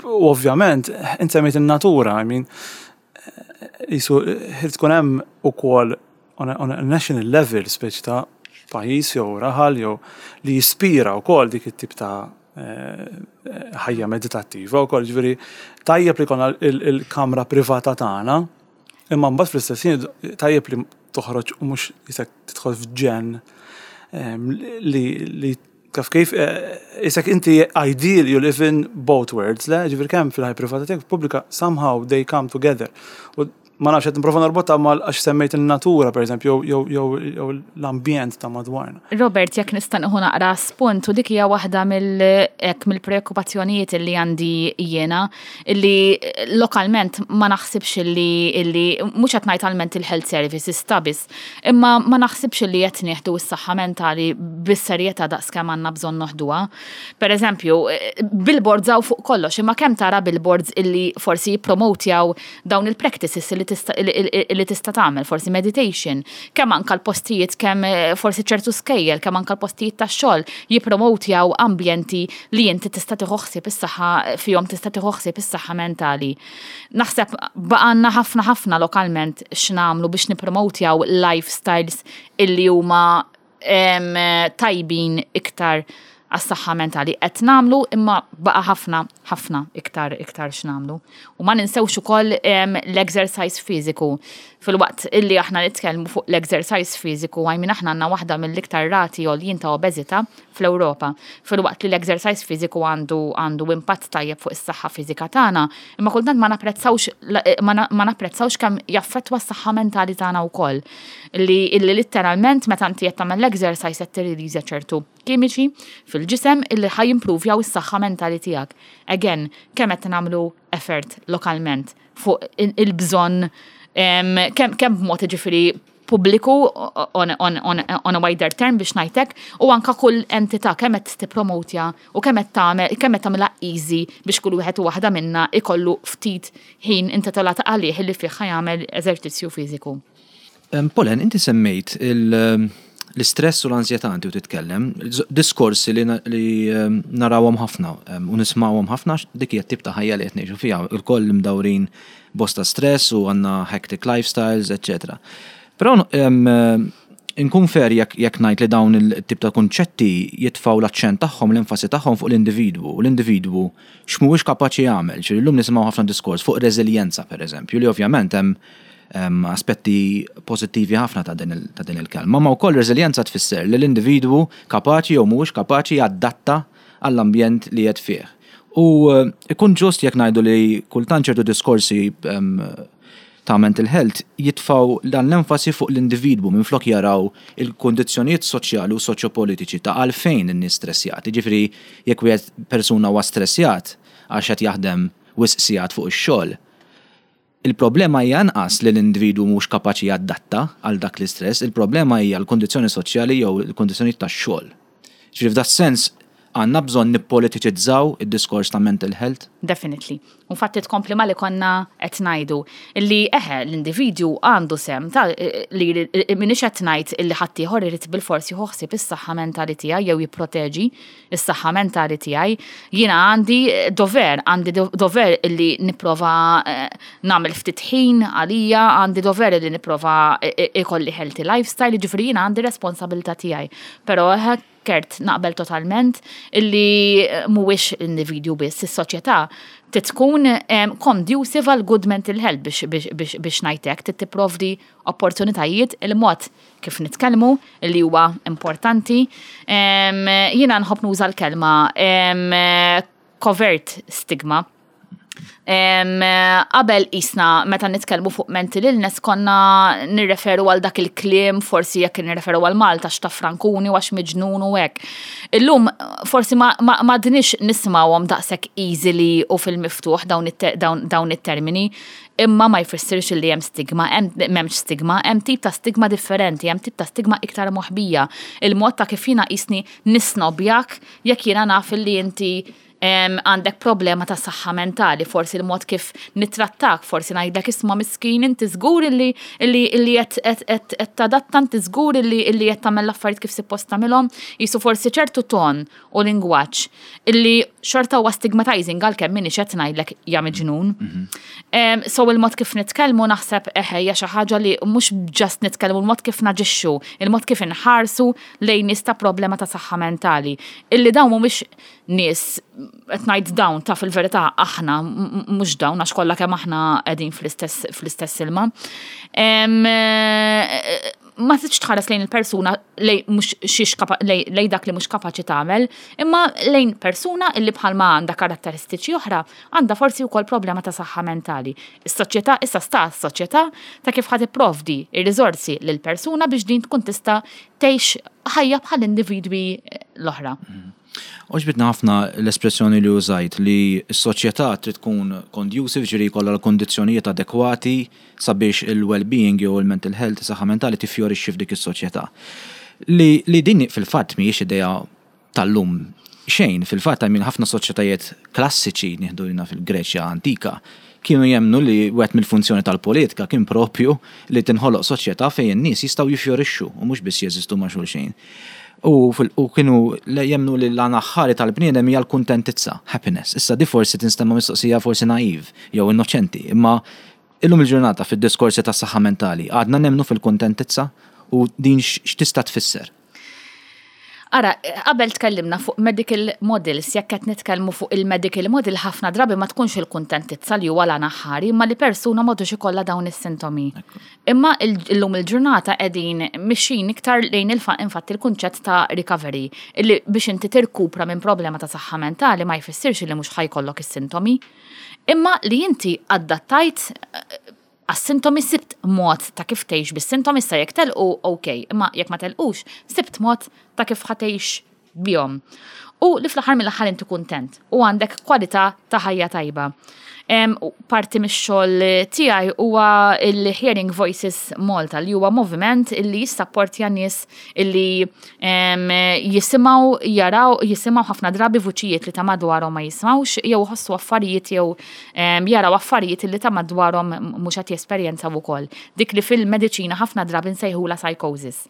u ovvjament inti semmejt in-natura, I mean, jisu ħir tkun hemm ukoll on a, on a national level speċi ta' pajjiż jew raħal jew li jispira wkoll dik it-tip ta' eh, ħajja meditattiva wkoll ġifieri tajjeb li jkollna il-kamra privata tagħna. Imma mbagħad fl-istess ħin tajjeb li toħroġ u mhux jisek tidħol f'ġenn li li taf kif isek inti ideal you live in both worlds, le? Ġifieri kemm fil-ħajja privata tiegħek pubblika somehow they come together. U ma nafx qed nipprova norbotha mal għax semmejt in-natura pereżempju jew jew jew l-ambjent ta' madwarna. Robert, jekk nista' nieħu naqra spunt u dik hija waħda mill hekk mill-preokkupazzjonijiet li għandi jiena illi lokalment ma naħsibx illi illi mhux qed ngħid għal mental health services ta' biss, imma ma naħsibx illi qed nieħdu s-saħħa mentali bis-serjetà daqskemm għandna bżonn noħduha. Per eżempju, billboards hawn fuq kollox, imma kemm tara billboards illi forsi jippromotjaw dawn il-practices li tista' li tista' tagħmel, forsi meditation, kemm anka l-postijiet kemm eh, forsi ċertu skejjel, kemm anka l-postijiet tax-xogħol jippromotjaw ambjenti li inti tista' tieħu ħsieb is-saħħa fihom tista' tieħu ħsieb is-saħħa mentali. Naħseb baqgħalna ħafna ħafna lokalment x'nagħmlu biex nippromotjaw lifestyles illi huma tajbin iktar għas-saħħa mentali qed nagħmlu imma baqa' ħafna ħafna iktar iktar x'nagħmlu. U ma ninsewx ukoll l-exercise fiżiku. Filwaqt illi aħna nitkellmu fuq l-exercise fiżiku, għajmin aħna għandna waħda mill-iktar rati għoljin ta' obeżità fl-Ewropa. Filwaqt li l-exercise fiżiku għandu għandu impatt tajjeb fuq is-saħħa fiżika tagħna, imma kultant ma napprezzawx ma napprezzawx kemm jaffettwa s-saħħa mentali tagħna wkoll. Li illi litteralment meta inti qed tagħmel l-exercise qed tirriliżja ċertu kimiċi fil-ġisem illi ħa jimpruvjaw is-saħħa mentali tiegħek. Again, kemm qed nagħmlu effort lokalment fuq il-bżonn kemm kemm b'mod ġifieri pubbliku on, on, on, on a wider term biex ngħidlek u anka kull entità kemm qed tippromotja u kemm qed tagħmel kemm qed tagħmilha easy biex kull wieħed u waħda minna ikollu ftit ħin intitolat għalih li fih jagħmel eżerċizzju fiżiku. Pauline, inti semmejt l-istress u l-ansjetà inti u titkellem, diskorsi li narawhom ħafna u nismawhom ħafna dik hija tip ta' ħajja li qed ngħixu fiha, ilkoll imdawrin bosta stress u għandna hectic lifestyles, etc. Però inkun fair jekk ngħid li dawn il-tip ta' kunċetti jitfgħu l-aċċent tagħhom, l-enfasi tagħhom fuq l-individwu, u l-individwu x'mhuwiex kapaċi jagħmel. Ġifieri llum nisimgħu ħafna diskors fuq reżiljenza pereżempju, li ovvjament hemm aspetti pożittivi ħafna ta' din il-kelma, ma wkoll reżiljenza tfisser li l-individwu kapaċi jew mhuwiex kapaċi jadatta għall-ambjent li qed fih. U ikun ġust jekk ngħidu li kultant ċertu diskorsi ta' mental health jitfgħu dan l-enfasi fuq l-individwu minflok jaraw il-kundizzjonijiet soċjali u soċjopolitiċi ta' għalfejn in-nies stressjati. Ġifieri jekk wieħed persuna huwa stressjat għax qed jaħdem wisq sigħat fuq ix-xogħol, il-problema hija anqas li l-individwu mhux kapaċi jadatta għal dak l-istress, il-problema hija l-kundizzjoni soċjali jew il-kundizzjonijiet tax-xogħol. Ġifieri f'dak sens għandna bżonn nippolitiċizzaw id-diskors ta' mental health? Definitely. Infatti tkompli ma li konna qed ngħidu li eħe l-individwu għandu sehem ta' li m'iniex qed ngħid illi ħaddieħor irid bilfors jieħu ħsieb is-saħħa mentali tiegħi jew jipproteġi is-saħħa mentali tiegħi. Jiena għandi dover, għandi dover illi nipprova nagħmel ftit ħin għalija, għandi dover illi nipprova ikolli healthy lifestyle, jiġifieri jiena għandi responsabilità tiegħi. Però eħe Kurt naqbel totalment illi mhuwiex l-individwu biss, is-soċjetà trid tkun conducive għal good mental health biex biex biex biex ngħidlek, trid tipprovdi opportunitajiet il-mod kif nitkellmu li huwa importanti. Jiena nħobb nuża l-kelma covert stigma. Qabel isna meta nitkellmu fuq mental illness konna nirreferu għal dak il-kliem, forsi jekk nirreferu għal Malta x'ta' frankuni u għax miġnun u hekk. Illum forsi ma m'għadniex nismawhom daqshekk easily u fil-miftuħ dawn it-termini, imma ma jfissirx li hemm stigma, m'hemmx stigma, hemm tip ta' stigma differenti, hemm tip ta' stigma iktar moħbija. Il-mod ta' kif jiena qisni nisnobjak jekk jiena naf li inti għandek problema ta' saħħa mentali, forsi il-mod kif nitrattak, forsi ngħidlek isma' miskin inti żgur illi illi qed tadatta, inti żgur illi illi qed tagħmel l-affarijiet kif suppost tagħmilhom, jisu forsi ċertu ton u lingwaġġ illi xorta huwa stigmatizing għalkemm m'iniex qed ngħidlek ja miġnun. So il-mod kif nitkellmu naħseb eħe hija xi ħaġa li mhux just nitkellmu, il-mod kif naġixxu, il-mod kif inħarsu lejn nies ta' problema ta' saħħa mentali. Illi dawn mhumiex nies Qed ngħid dawn ta' fil-verità aħna mhux dawn għax kollha kemm aħna qegħdin fl-istess fl-istess ilma. Ma tridx tħares lejn il-persuna lejn mhux xiex lejn dak li mhux kapaċi tagħmel, imma lejn persuna illi bħalma għandha karatteristiċi oħra għandha forsi wkoll problema ta' saħħa mentali. Is-soċjetà issa sta s-soċjetà ta' kif ħa tipprovdi r-riżorsi lill-persuna biex din tkun tista' tgħix ħajja bħal individwi l-oħra. Għoġbitni ħafna l-espressjoni li użajt li s-soċjetà trid tkun conducive, ġifieri jkollha l-kundizzjonijiet adekwati sabiex il-well-being jew il-mental health, is-saħħa mentali tiffjorixxi f'dik is-soċjetà. Li, li din fil-fatt mhijiex idea tal-lum xejn, fil-fatt I mean ħafna soċjetajiet klassiċi, nieħdu jiena fil-Greċja antika, kienu jemmnu li wieħed mill-funzjoni tal-politika kien propju li tinħoloq soċjetà fejn in-nies jistgħu jiffjorixxu u mhux biss jeżistu ma' xulxin. U, u kienu jemmnu li l-għan aħħari tal-bniedem hija l-kuntentizza, happiness. Issa di forsi tinstema' mistoqsija forsi naive jew innoċenti, imma illum il-ġurnata fid-diskorsi tas-saħħa mentali għadna nemmnu fil-kuntentizza u din x'tista' tfisser? Ara, qabel tkellimna fuq medical models, jekk qed nitkellmu fuq il-medical model ħafna drabi ma tkunx il-kuntentizza li huwa l-għan aħħari, imma li persuna m'għadux ikollha dawn is-sintomi. Imma illum il-ġurnata qegħdin mixjin iktar lejn infatti il-kunċett ta' recovery, illi biex inti tirkupra minn problema ta' saħħa mentali ma jfissirx li mhux ħa jkollok is-sintomi, imma li inti adattajt għas-sintomi sibt mod ta' kif tgħix bis-sintomi issa jekk telqu ok, imma jekk ma telqux sibt mod ta' kif ħa tgħix bihom. U li fl-aħħar mill-aħħar inti kuntent u għandek kwalità ta' ħajja tajba. Parti mix-xogħol tiegħi huwa il-Hearing Voices Malta li huwa moviment illi jissapportja nies illi jisimgħu jaraw jisimgħu ħafna drabi vuċijiet li ta' madwarhom ma jismgħux jew iħossu affarijiet jew jaraw affarijiet li ta' madwarhom mhux qed jesperjenzaw ukoll. Dik li fil-mediċina ħafna drabi nsejħulha psychosis.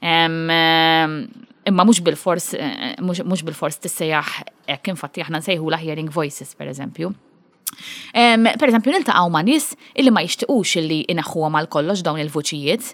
Imma mhux bilfors mhux bilfors tissejjaħ hekk infatti aħna nsejħulha hearing voices pereżempju. Per eżempju, niltaqgħu ma' nies illi ma jixtiqux illi ineħħuhom għal kollox dawn il-vuċijiet.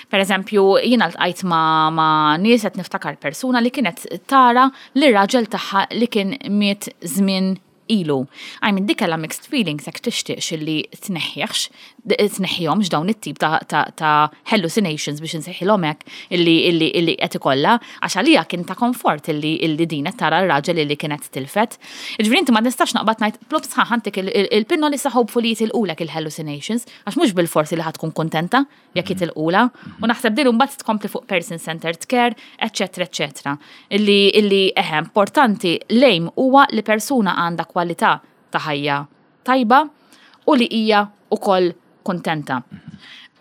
Per eżempju, jiena ltqajt ma', ma' nies qed niftakar persuna li kienet tara li raġel tagħha li kien miet żmien ilu. I mean, dik kellha mixed feelings jekk tixtieqx illi tneħħihx, tneħħihomx dawn it-tip ta', ta, ta hallucinations biex insejħilhom hekk illi illi illi qed ikollha, għax għalija kien ta' komfort illi illi din qed tara r-raġel illi kienet tilfet. Jiġifieri inti ma nistax naqbad ngħid plop sħaħ antik il-pinnoli sa hopefully jitilqulek il-hallucinations, għax mhux bilfors li ħa tkun kuntenta jekk jitilqula. U naħseb din imbagħad tkompli fuq person-centered care, eċċetera, eċċetera. Illi illi eħe importanti l-aim huwa li persuna għandha kwalità ta' ħajja tajba u li hija wkoll kuntenta.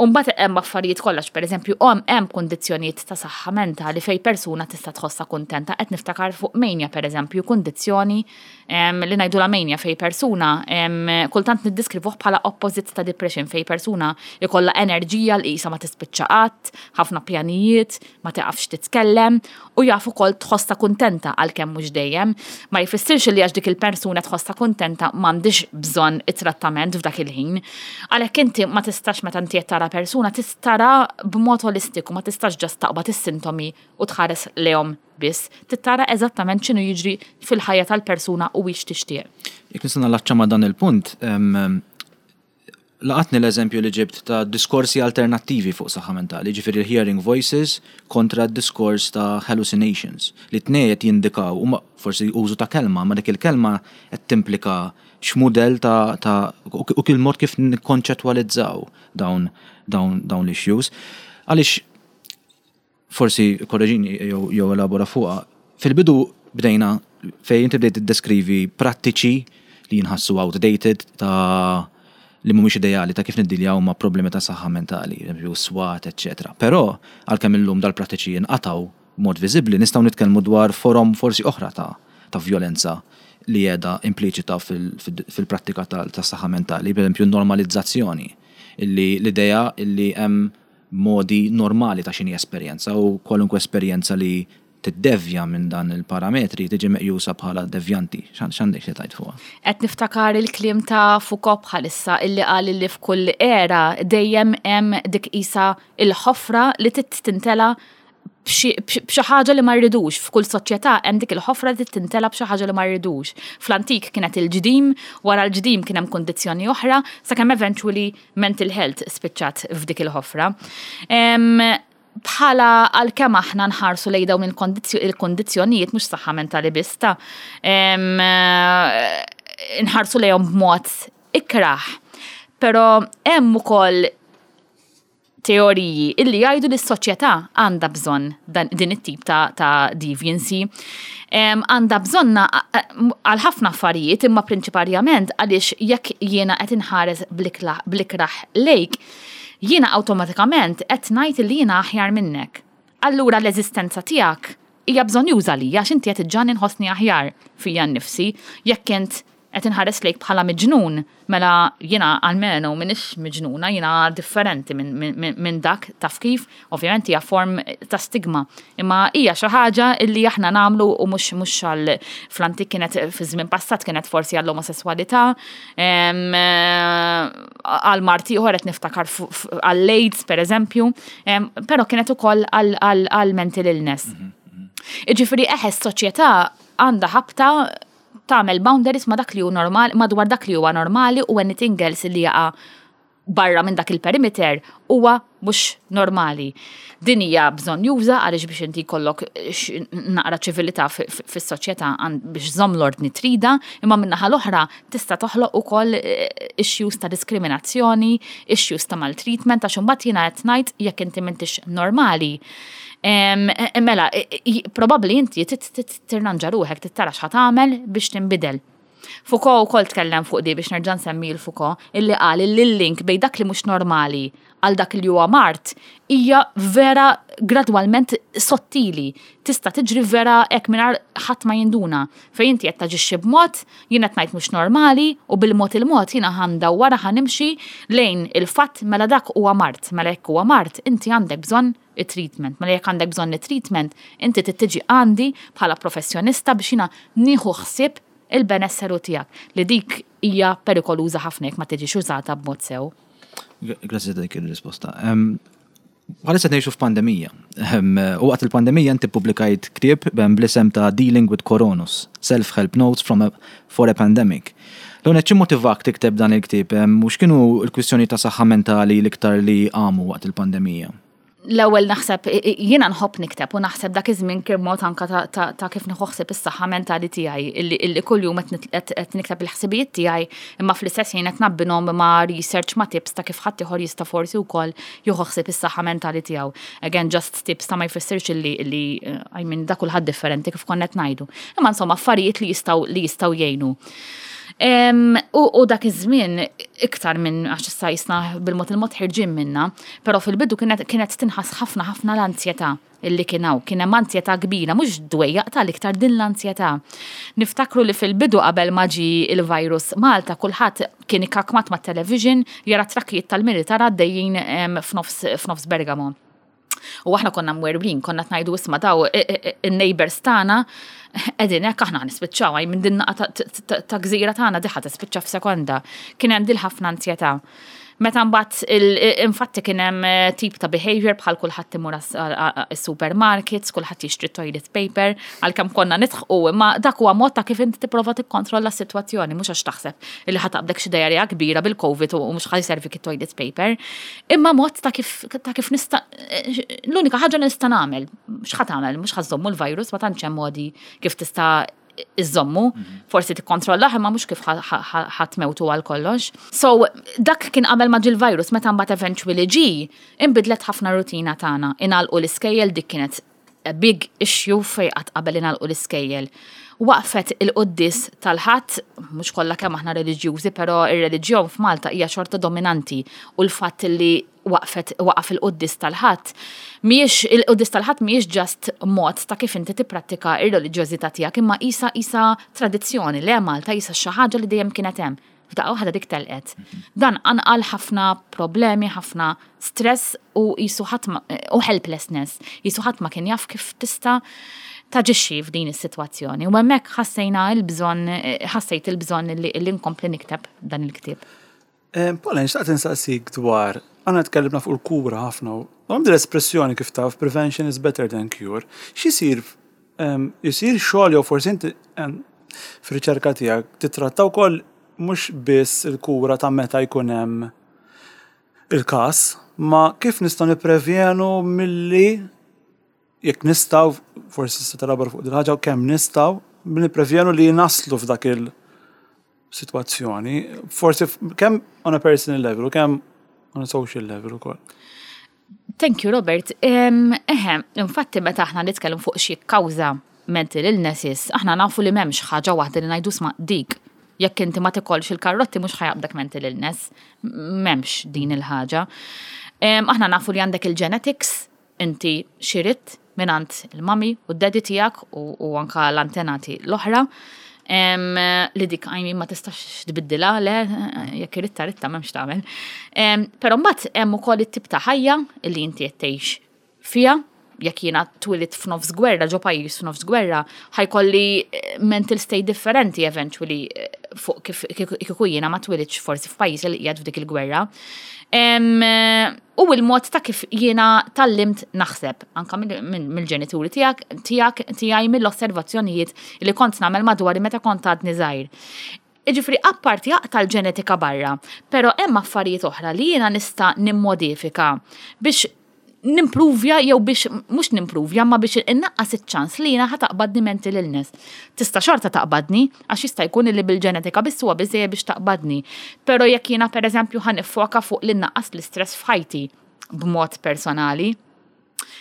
U mbagħad hemm affarijiet kollha, pereżempju hemm kundizzjonijiet ta' saħħa mentali fejn persuna tista' tħossha kuntenta. Qed niftakar fuq mania pereżempju, kundizzjoni li ngħidulha mania fejn persuna kultant niddiskrivuh bħala opposite ta' depression fejn persuna jkollha enerġija li qisha ma tispiċċa qatt, ħafna pjanijiet, ma tiqafx titkellem u jaf ukoll tħossha kuntenta għalkemm mhux dejjem. Ma jfissirx li għax dik il-persuna tħossha kuntenta m'għandhiex bżonn it-trattament f'dak il-ħin. Għalhekk inti ma tistax meta inti qed tara persuna tara b'mod olistiku, ma tistax just taqbad is-sintomi u tħares lejhom biss, trid tara eżattament x'inhu jiġri fil-ħajja tal-persuna u hix tixtieq. Jekk nista' nallaċċa ma' dan il-punt, Laqatni l-eżempju li ġibt ta' diskorsi alternattivi fuq saħħa mentali, jiġifieri l-hearing voices kontra d-diskors ta' hallucinations, li t-tnejn qed jindikaw, huma forsi użu ta' kelma, imma dik il-kelma qed timplika x'mudell ta' ta' u il-mod kif nikkonċettwalizzaw dawn dawn dawn l-issues. Għaliex forsi korreġini jew elabora fuqha, fil-bidu bdejna fejn inti bdejt tiddeskrivi prattiċi li jinħassu outdated ta' li mhumiex ideali ta' kif niddiljaw ma' problemi ta' saħħa mentali, eżempju swat, eċċetera. Però għalkemm illum dal-prattiċi jinqatgħu b'mod viżibbli, nistgħu nitkellmu dwar forom forsi oħra ta' ta' vjolenza li qiegħda impliċita fil-prattika tas-saħħa mentali, pereżempju n-normalizzazzjoni, illi l-idea illi hemm modi normali ta' x'inhi esperjenza u kwalunkwe esperjenza li tiddevja minn dan il-parametri tiġi meqjusa bħala devjanti. X'għandek xi tgħid fuqha? Qed niftakar il-kliem ta' Foucault bħalissa illi qal illi f'kull era dejjem hemm dik qisha il-ħofra li trid tintela' b'xi ħaġa li ma rridux. F'kull soċjetà hemm dik il-ħofra li tintela b'xi ħaġa li ma rridux. Fl-antik kienet il-ġdim, wara l-ġdim kien hemm kundizzjoni oħra, sakemm eventually mental health spiċċat f'dik il-ħofra. Bħala għalkemm aħna nħarsu lejn dawn il-kondizzjonijiet mhux saħħa mentali biss ta' nħarsu lejhom b'mod ikrah. Però hemm ukoll teoriji illi jgħidu li s-soċjetà għandha bżonn din it-tip ta', ta deviancy. Għandha bżonna għal ħafna affarijiet imma prinċiparjament għaliex jekk jiena qed inħares blikraħ lejk, jiena awtomatikament qed ngħid li jiena aħjar minnek. Allura l-eżistenza tiegħek hija bżonnjuża lija għax inti qed iġġagħalni nħossni aħjar fija nnifsi. Jekk int qed inħares lejk bħala miġnun, mela jiena almenu m'iniex miġnuna, jiena differenti minn min, min, min dak taf kif, ovvjament hija form ta' stigma. Imma hija xi ħaġa illi aħna nagħmlu u mhux mhux għal fl-antik kienet fi żmien passat kienet forsi għall-omosessualità, għal mard ieħor qed niftakar għall-AIDS pereżempju, però kienet ukoll għal mental illness. Iġifieri eħe s-soċjetà għandha ħabta tagħmel boundaries ma dak li hu normal, madwar dak li huwa normali u anything else li jaqa' barra minn dak il-perimeter huwa mhux normali. Din hija bżonnjuża għaliex biex inti jkollok naqra ċivilità fis-soċjetà biex żomm l-ordni trida, imma min-naħa l-oħra tista' toħloq ukoll issues ta' diskriminazzjoni, issues ta' maltreatment għax imbagħad jiena qed ngħid jekk inti m'intix normali. Mela, probabbli inti tirranġa ruħek, tara x'ħa tagħmel biex tinbidel. Foucault ukoll tkellem fuq di biex nerġa' nsemmi l-Foucault, illi qal illi l-link bejn dak li mhux normali għal dak li huwa mard hija vera gradwalment sottili. Tista' tiġri vera hekk mingħajr ħadd ma jinduna. Fejn inti qed taġixxi b'mod, jien qed ngħid mhux normali u bil-mod il-mod jiena ħa ndawwarha ħa nimxi lejn il-fatt mela dak huwa mard. Mela jekk huwa mard, inti għandek bżonn it-treatment. Mela jekk għandek bżonn it-treatment, inti trid tiġi għandi bħala professjonista biex jiena nieħu ħsieb il-benesseru tiegħek li dik hija perikoluża ħafna jekk ma tiġix użata b'mod sew. Grazzi ta' dik il-risposta. Bħalissa ngħixu f'pandemija. U waqt il-pandemija inti publikajt ktieb bl-isem ta' Dealing with Coronus, Self-Help Notes from a, for a Pandemic. L-għonet x'immotivak tikteb dan il-ktieb u x'kienu l-kwistjoni ta' saħħa mentali l-iktar li għamu waqt il-pandemija? L-ewwel naħseb jiena nħobb nikteb u naħseb dak iż-żmien kien mod anka ta' kif nieħu ħsieb is-saħħa mentali tiegħi illi kuljum qed nikteb il-ħsibijiet tiegħi imma fl-istess ħin qed nabbinhom ma' research ma' tips ta' kif ħadd ieħor jista' forsi wkoll jieħu ħsieb is-saħħa mentali tiegħu. Again, just tips ta' ma jfissirx illi I mean da kulħadd differenti kif konna qed ngħidu. Imma insomma affarijiet li jistgħu jgħinu. U dak iż-żmien iktar minn għax issa jisna bil-mod il-mod ħirġin minna, però fil-bidu kienet tinħass ħafna ħafna l-ansjetà illi kien hawn. Kien hemm ansjetà kbira, mhux dwejjaq tal-iktar din l-ansjetà. Niftakru li fil-bidu qabel ma ġie il-virus Malta kulħadd kien ikkakmat mat-television jara trakkijiet tal-militar għaddejjin f'nofs Bergamo. U aħna konna mwerwrin, konna tnajdu isma daw in-neighbors tagħna qegħdin hekk aħna nispiċċaw għaj minn din naqa ta' gżira tagħna diħa tispiċċa f'sekonda. Kien hemm dil ħafna ansjetà. Meta mbagħad infatti kien hemm tip ta' behavior bħal kulħadd imur is-supermarkets, kulħadd jixtri toilet paper, għalkemm konna nidħqu, imma dak huwa mod ta' kif inti tipprova tikkontrolla s-sitwazzjoni, mhux għax taħseb li ħa taqbdek xi diarrea kbira bil-COVID u mhux ħa jservik it-toilet paper, imma mod ta' kif ta' kif nista' l-unika ħaġa li nista' nagħmel, x'ħa tagħmel, mhux ħa żżommu l-virus, ma tantx hemm modi kif tista' iżommu, forsi tikkontrollah imma mhux kif ħa tmewtu għal kollox. So dak kien qabel ma ġie l-virus, meta mbagħad eventually ġie, inbidlet ħafna rutina tagħna. Ingħalqu l-iskejjel dik kienet a big issue fej qatt qabel ingħalqu l-iskejjel. Waqfet il-quddis tal-Ħadd, mhux kollha kemm aħna reliġjużi, però ir-reliġjon f'Malta hija xorta dominanti u l-fatt li waqfet waqaf il-quddis tal-Ħadd mhijiex il-quddis tal-Ħadd mhijiex just mod ta' kif inti tipprattika ir-reliġjożità tiegħek imma qisha qisha tradizzjoni le Malta qisha xi ħaġa li dejjem kienet hemm. F'daqqa waħda dik telqet. Dan qanqal ħafna problemi, ħafna stress u qisu ħadd u helplessness. Qisu ħadd ma kien jaf kif tista' taġixxi f'din is-sitwazzjoni. U hemmhekk ħassejna l-bżonn, ħassejt il-bżonn li nkompli nikteb dan il-ktieb. Paula, nixtaqt insaqsik dwar Aħna tkellimna fuq il-kura ħafna u hemm din l-espressjoni kif taf prevention is better than cure. X'isir isir xogħol jew forsi inti fir-riċerka tiegħek titratta wkoll mhux biss il-kura ta' meta jkun hemm il-każ, ma kif nistgħu nipprevjenu milli jekk nistgħu, forsi tista' telabora fuq din ħaġa kemm nistgħu nipprevjenu li naslu f'dak il-sitwazzjoni, forsi kemm on a personal level u kemm on a social level ukoll. Thank you, Robert. Eħe, infatti meta aħna nitkellmu fuq xi kawża mental illnesses, aħna nafu li m'hemmx ħaġa waħda li ngħidu sma' dik. Jekk inti ma tikolx il-karrotti mhux ħa jaqbdek mental illness. M'hemmx din il-ħaġa. Aħna nafu li għandek il-genetics, inti xiritt mingħand il-mummy u d-daddy tiegħek u anka l-antenati l-oħra. Li dik I mean ma tistax tbiddilha, le, jekk iritta ritta m'hemmx tagħmel. Però mbagħad hemm ukoll it-tip ta' ħajja li inti qed tgħix fiha, jekk jiena twilidt f'nofs gwerra, ġo pajjiż f'nofs gwerra, ħa jkolli mental state differenti eventually fuq kif kieku jiena ma twilidx forsi f'pajjiż li qiegħed f'dik il-gwerra. U il-mod ta' kif jiena tgħallimt naħseb, anka mill-ġenituri tiegħek, tiegħek, tiegħi mill-osservazzjonijiet li kont nagħmel madwari meta kont għadni żgħir. Jiġifieri apparti aqta' l-ġenetika barra, però hemm affarijiet oħra li jiena nista' nimmodifika biex nimpruvja jew biex mhux nimpruvja ma biex innaqqas iċ-ċans li jiena ħa taqbadni mental illness. Tista' xorta taqbadni għax jista' jkun li bil-ġenetika biss huwa biżejjed biex taqbadni. Però jekk jiena pereżempju ħa niffoka fuq li nnaqqas l-istress f'ħajti b'mod personali,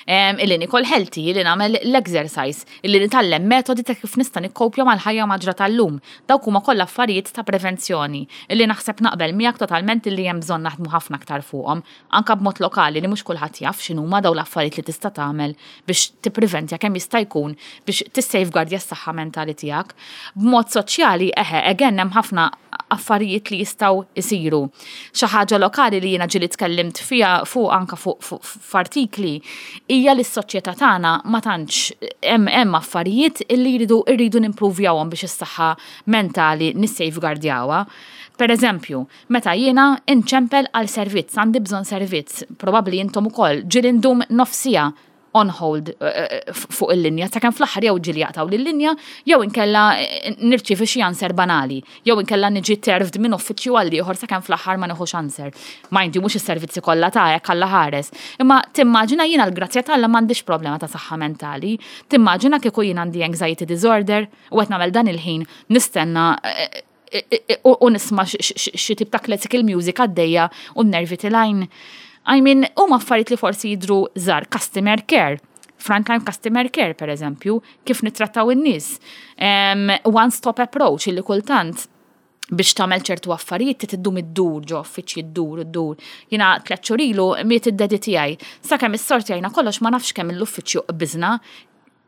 illi nikol healthy, illi nagħmel l-exercise, illi nitgħallem metodi ta' kif nista' nikkopja mal-ħajja maġra tal-lum. Dawk huma kollha affarijiet ta' prevenzjoni illi naħseb naqbel miegħek totalment illi hemm bżonn naħdmu ħafna aktar fuqhom, anka b'mod lokali li mhux kulħadd jaf x'inhuma dawn l-affarijiet li tista' tagħmel biex tippreventja kemm jista' jkun biex tissafeguardja s-saħħa mentali tiegħek. B'mod soċjali, eħe, again hemm ħafna affarijiet li jistgħu jsiru. Xi ħaġa lokali li jiena ġieli tkellimt fiha fuq anka fuq f'artikli hija li s-soċjetà tagħna ma tantx hemm hemm affarijiet li jridu rridu nimpruvjawhom biex is-saħħa mentali nissafeguardjawha. Per eżempju, meta jiena inċempel għal servizz, għandi bżonn servizz, probabbli intom ukoll, ġieli ndum nofs siegħa on hold fuq il-linja, sakemm fl-aħħar jew ġieli jaqtgħu l-linja, jew inkella nirċievi xi answer banali, jew inkella niġi terved minn uffiċċju għal ieħor sakemm fl-aħħar ma nieħux answer. Mind you, mhux is-servizzi kollha ta' hekk Alla ħares. Imma timmaġina jiena l-grazzja t'Alla m'għandix problema ta' saħħa mentali. Timmaġina kieku jien għandi anxiety disorder u qed nagħmel dan il-ħin nistenna u nisma' xi tip ta' classical music għaddejja u n-nervi tilgħin. I mean, huma affarijiet li forsi jidhru żgħar, customer care, frontline customer care per eżempju, kif nittrattaw in-nies. One stop approach illi kultant biex tagħmel ċertu affarijiet trid iddum iddur ġo uffiċċji ddur iddur. Jiena tliet xhur ilu miet id-daddy tiegħi. Sakemm issortjajna kollox ma nafx kemm l-uffiċċju qbiżna.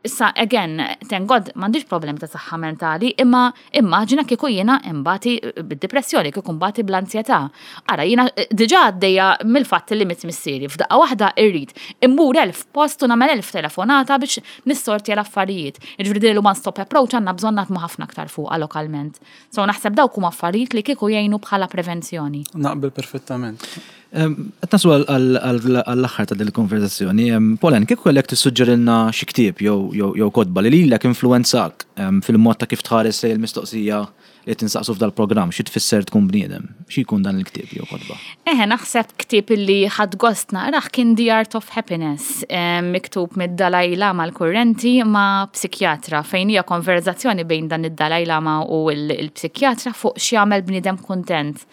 Issa, again, thank God, m'għandix problemi ta' saħħa mentali, imma immaġina kieku jiena imbati bid-depressjoni, kieku mbati bl-ansjetà. Ara, jiena diġà għaddejja mill-fatt li miet missieri, f'daqqa waħda irrid immur 1000 post u nagħmel 1000 telefonata biex nissortja l-affarijiet. Jiġifieri din il-one stop approach għandna bżonn naħdmu ħafna aktar fuqha lokalment. So naħseb dawk huma affarijiet li kieku jgħinu bħala prevenzjoni. Naqbel perfettament. Qed naslu għall-aħħar ta' din il-konversazzjoni. Pauline, kieku kellek tissuġġerilna xi ktieb jew kotba li lilek influwenzak fil-mod ta' kif tħares lejn il-mistoqsija li qed insaqsu f'dal-programm, xi tfisser tkun bniedem? Xi jkun dan il-ktieb jew kotba? Eħe, naħseb ktieb illi ħadt gost naqrah kien The Art of Happiness, miktub mid-Dalai Lama l-kurrenti ma' psikjatra, fejn hija konverżazzjoni bejn dan id-Dalai Lama u l-psikjatra fuq x'jagħmel bniedem kuntent.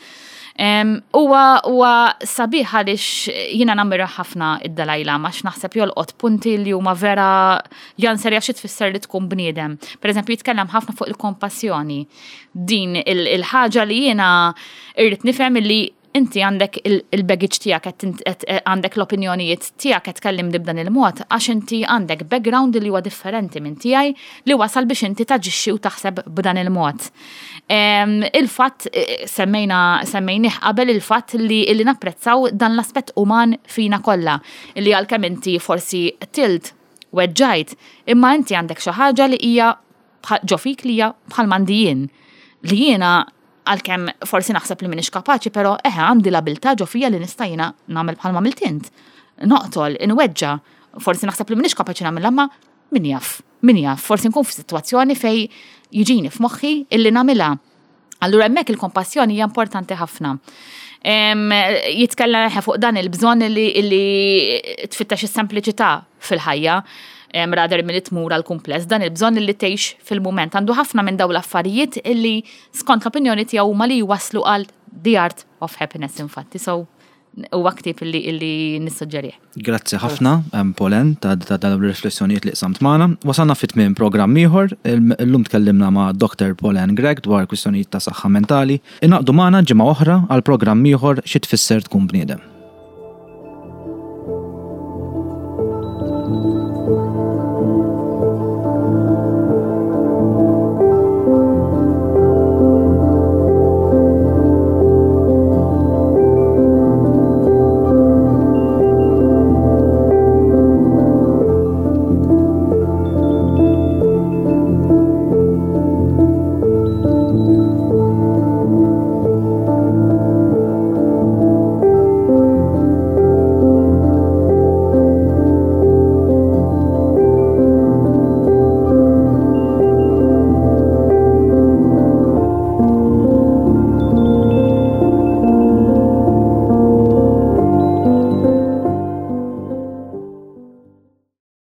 Huwa huwa sabiħ għaliex jiena nammira ħafna id-Dalai Lama għax naħseb jolqot punti li huma vera janserja xi tfisser li tkun bniedem. Per eżempju jitkellem ħafna fuq il-kompassjoni. Din il-ħaġa li jiena irrid nifhem li inti għandek il-baggage tiegħek għandek l-opinjonijiet tiegħek qed tkellimni b'dan il-mod għax inti għandek background li huwa differenti minn tiegħi li wasal biex inti taġixxi u taħseb b'dan il-mod. Il-fatt semmejna semmejnih qabel il-fatt li li napprezzaw dan l-aspett uman fina kollha li għalkemm inti forsi tilt weġġajt, imma inti għandek xi ħaġa li hija ġo fik li hija bħal m'għandi jien. Li jiena għalkemm forsi naħseb li m'iniex kapaċi, però eħe għandi l-abilità ġo fija li nista' jiena nagħmel bħalma għamilt int. Noqtol, inweġġa', forsi naħseb li m'iniex kapaċi nagħmilha ma min jaf, min jaf, forsi nkun f'sitwazzjoni fejn jiġini f'moħħi illi nagħmilha. Allura hemmhekk il-kompassjoni hija importanti ħafna. Jitkellem fuq dan il-bżonn li tfittex is-sempliċità fil-ħajja rather milli tmur għal kumpless, dan il-bżonn li tgħix fil-mument. Għandu ħafna minn dawn l-affarijiet illi skont l-opinjoni tiegħu huma li jwaslu għal the art of happiness infatti. So huwa ktieb illi nissuġġerih. Grazzi ħafna, Pauline, ta' dawn ir-riflessjonijiet li qsamt magħna. Wasalna fi tmiem programm ieħor. Illum tkellimna ma' Dr. Pauline Grech dwar kwistjonijiet ta' saħħa mentali. Ingħaqdu magħna ġimgħa oħra għal programm ieħor Xi Tfisser Tkun Bniedem.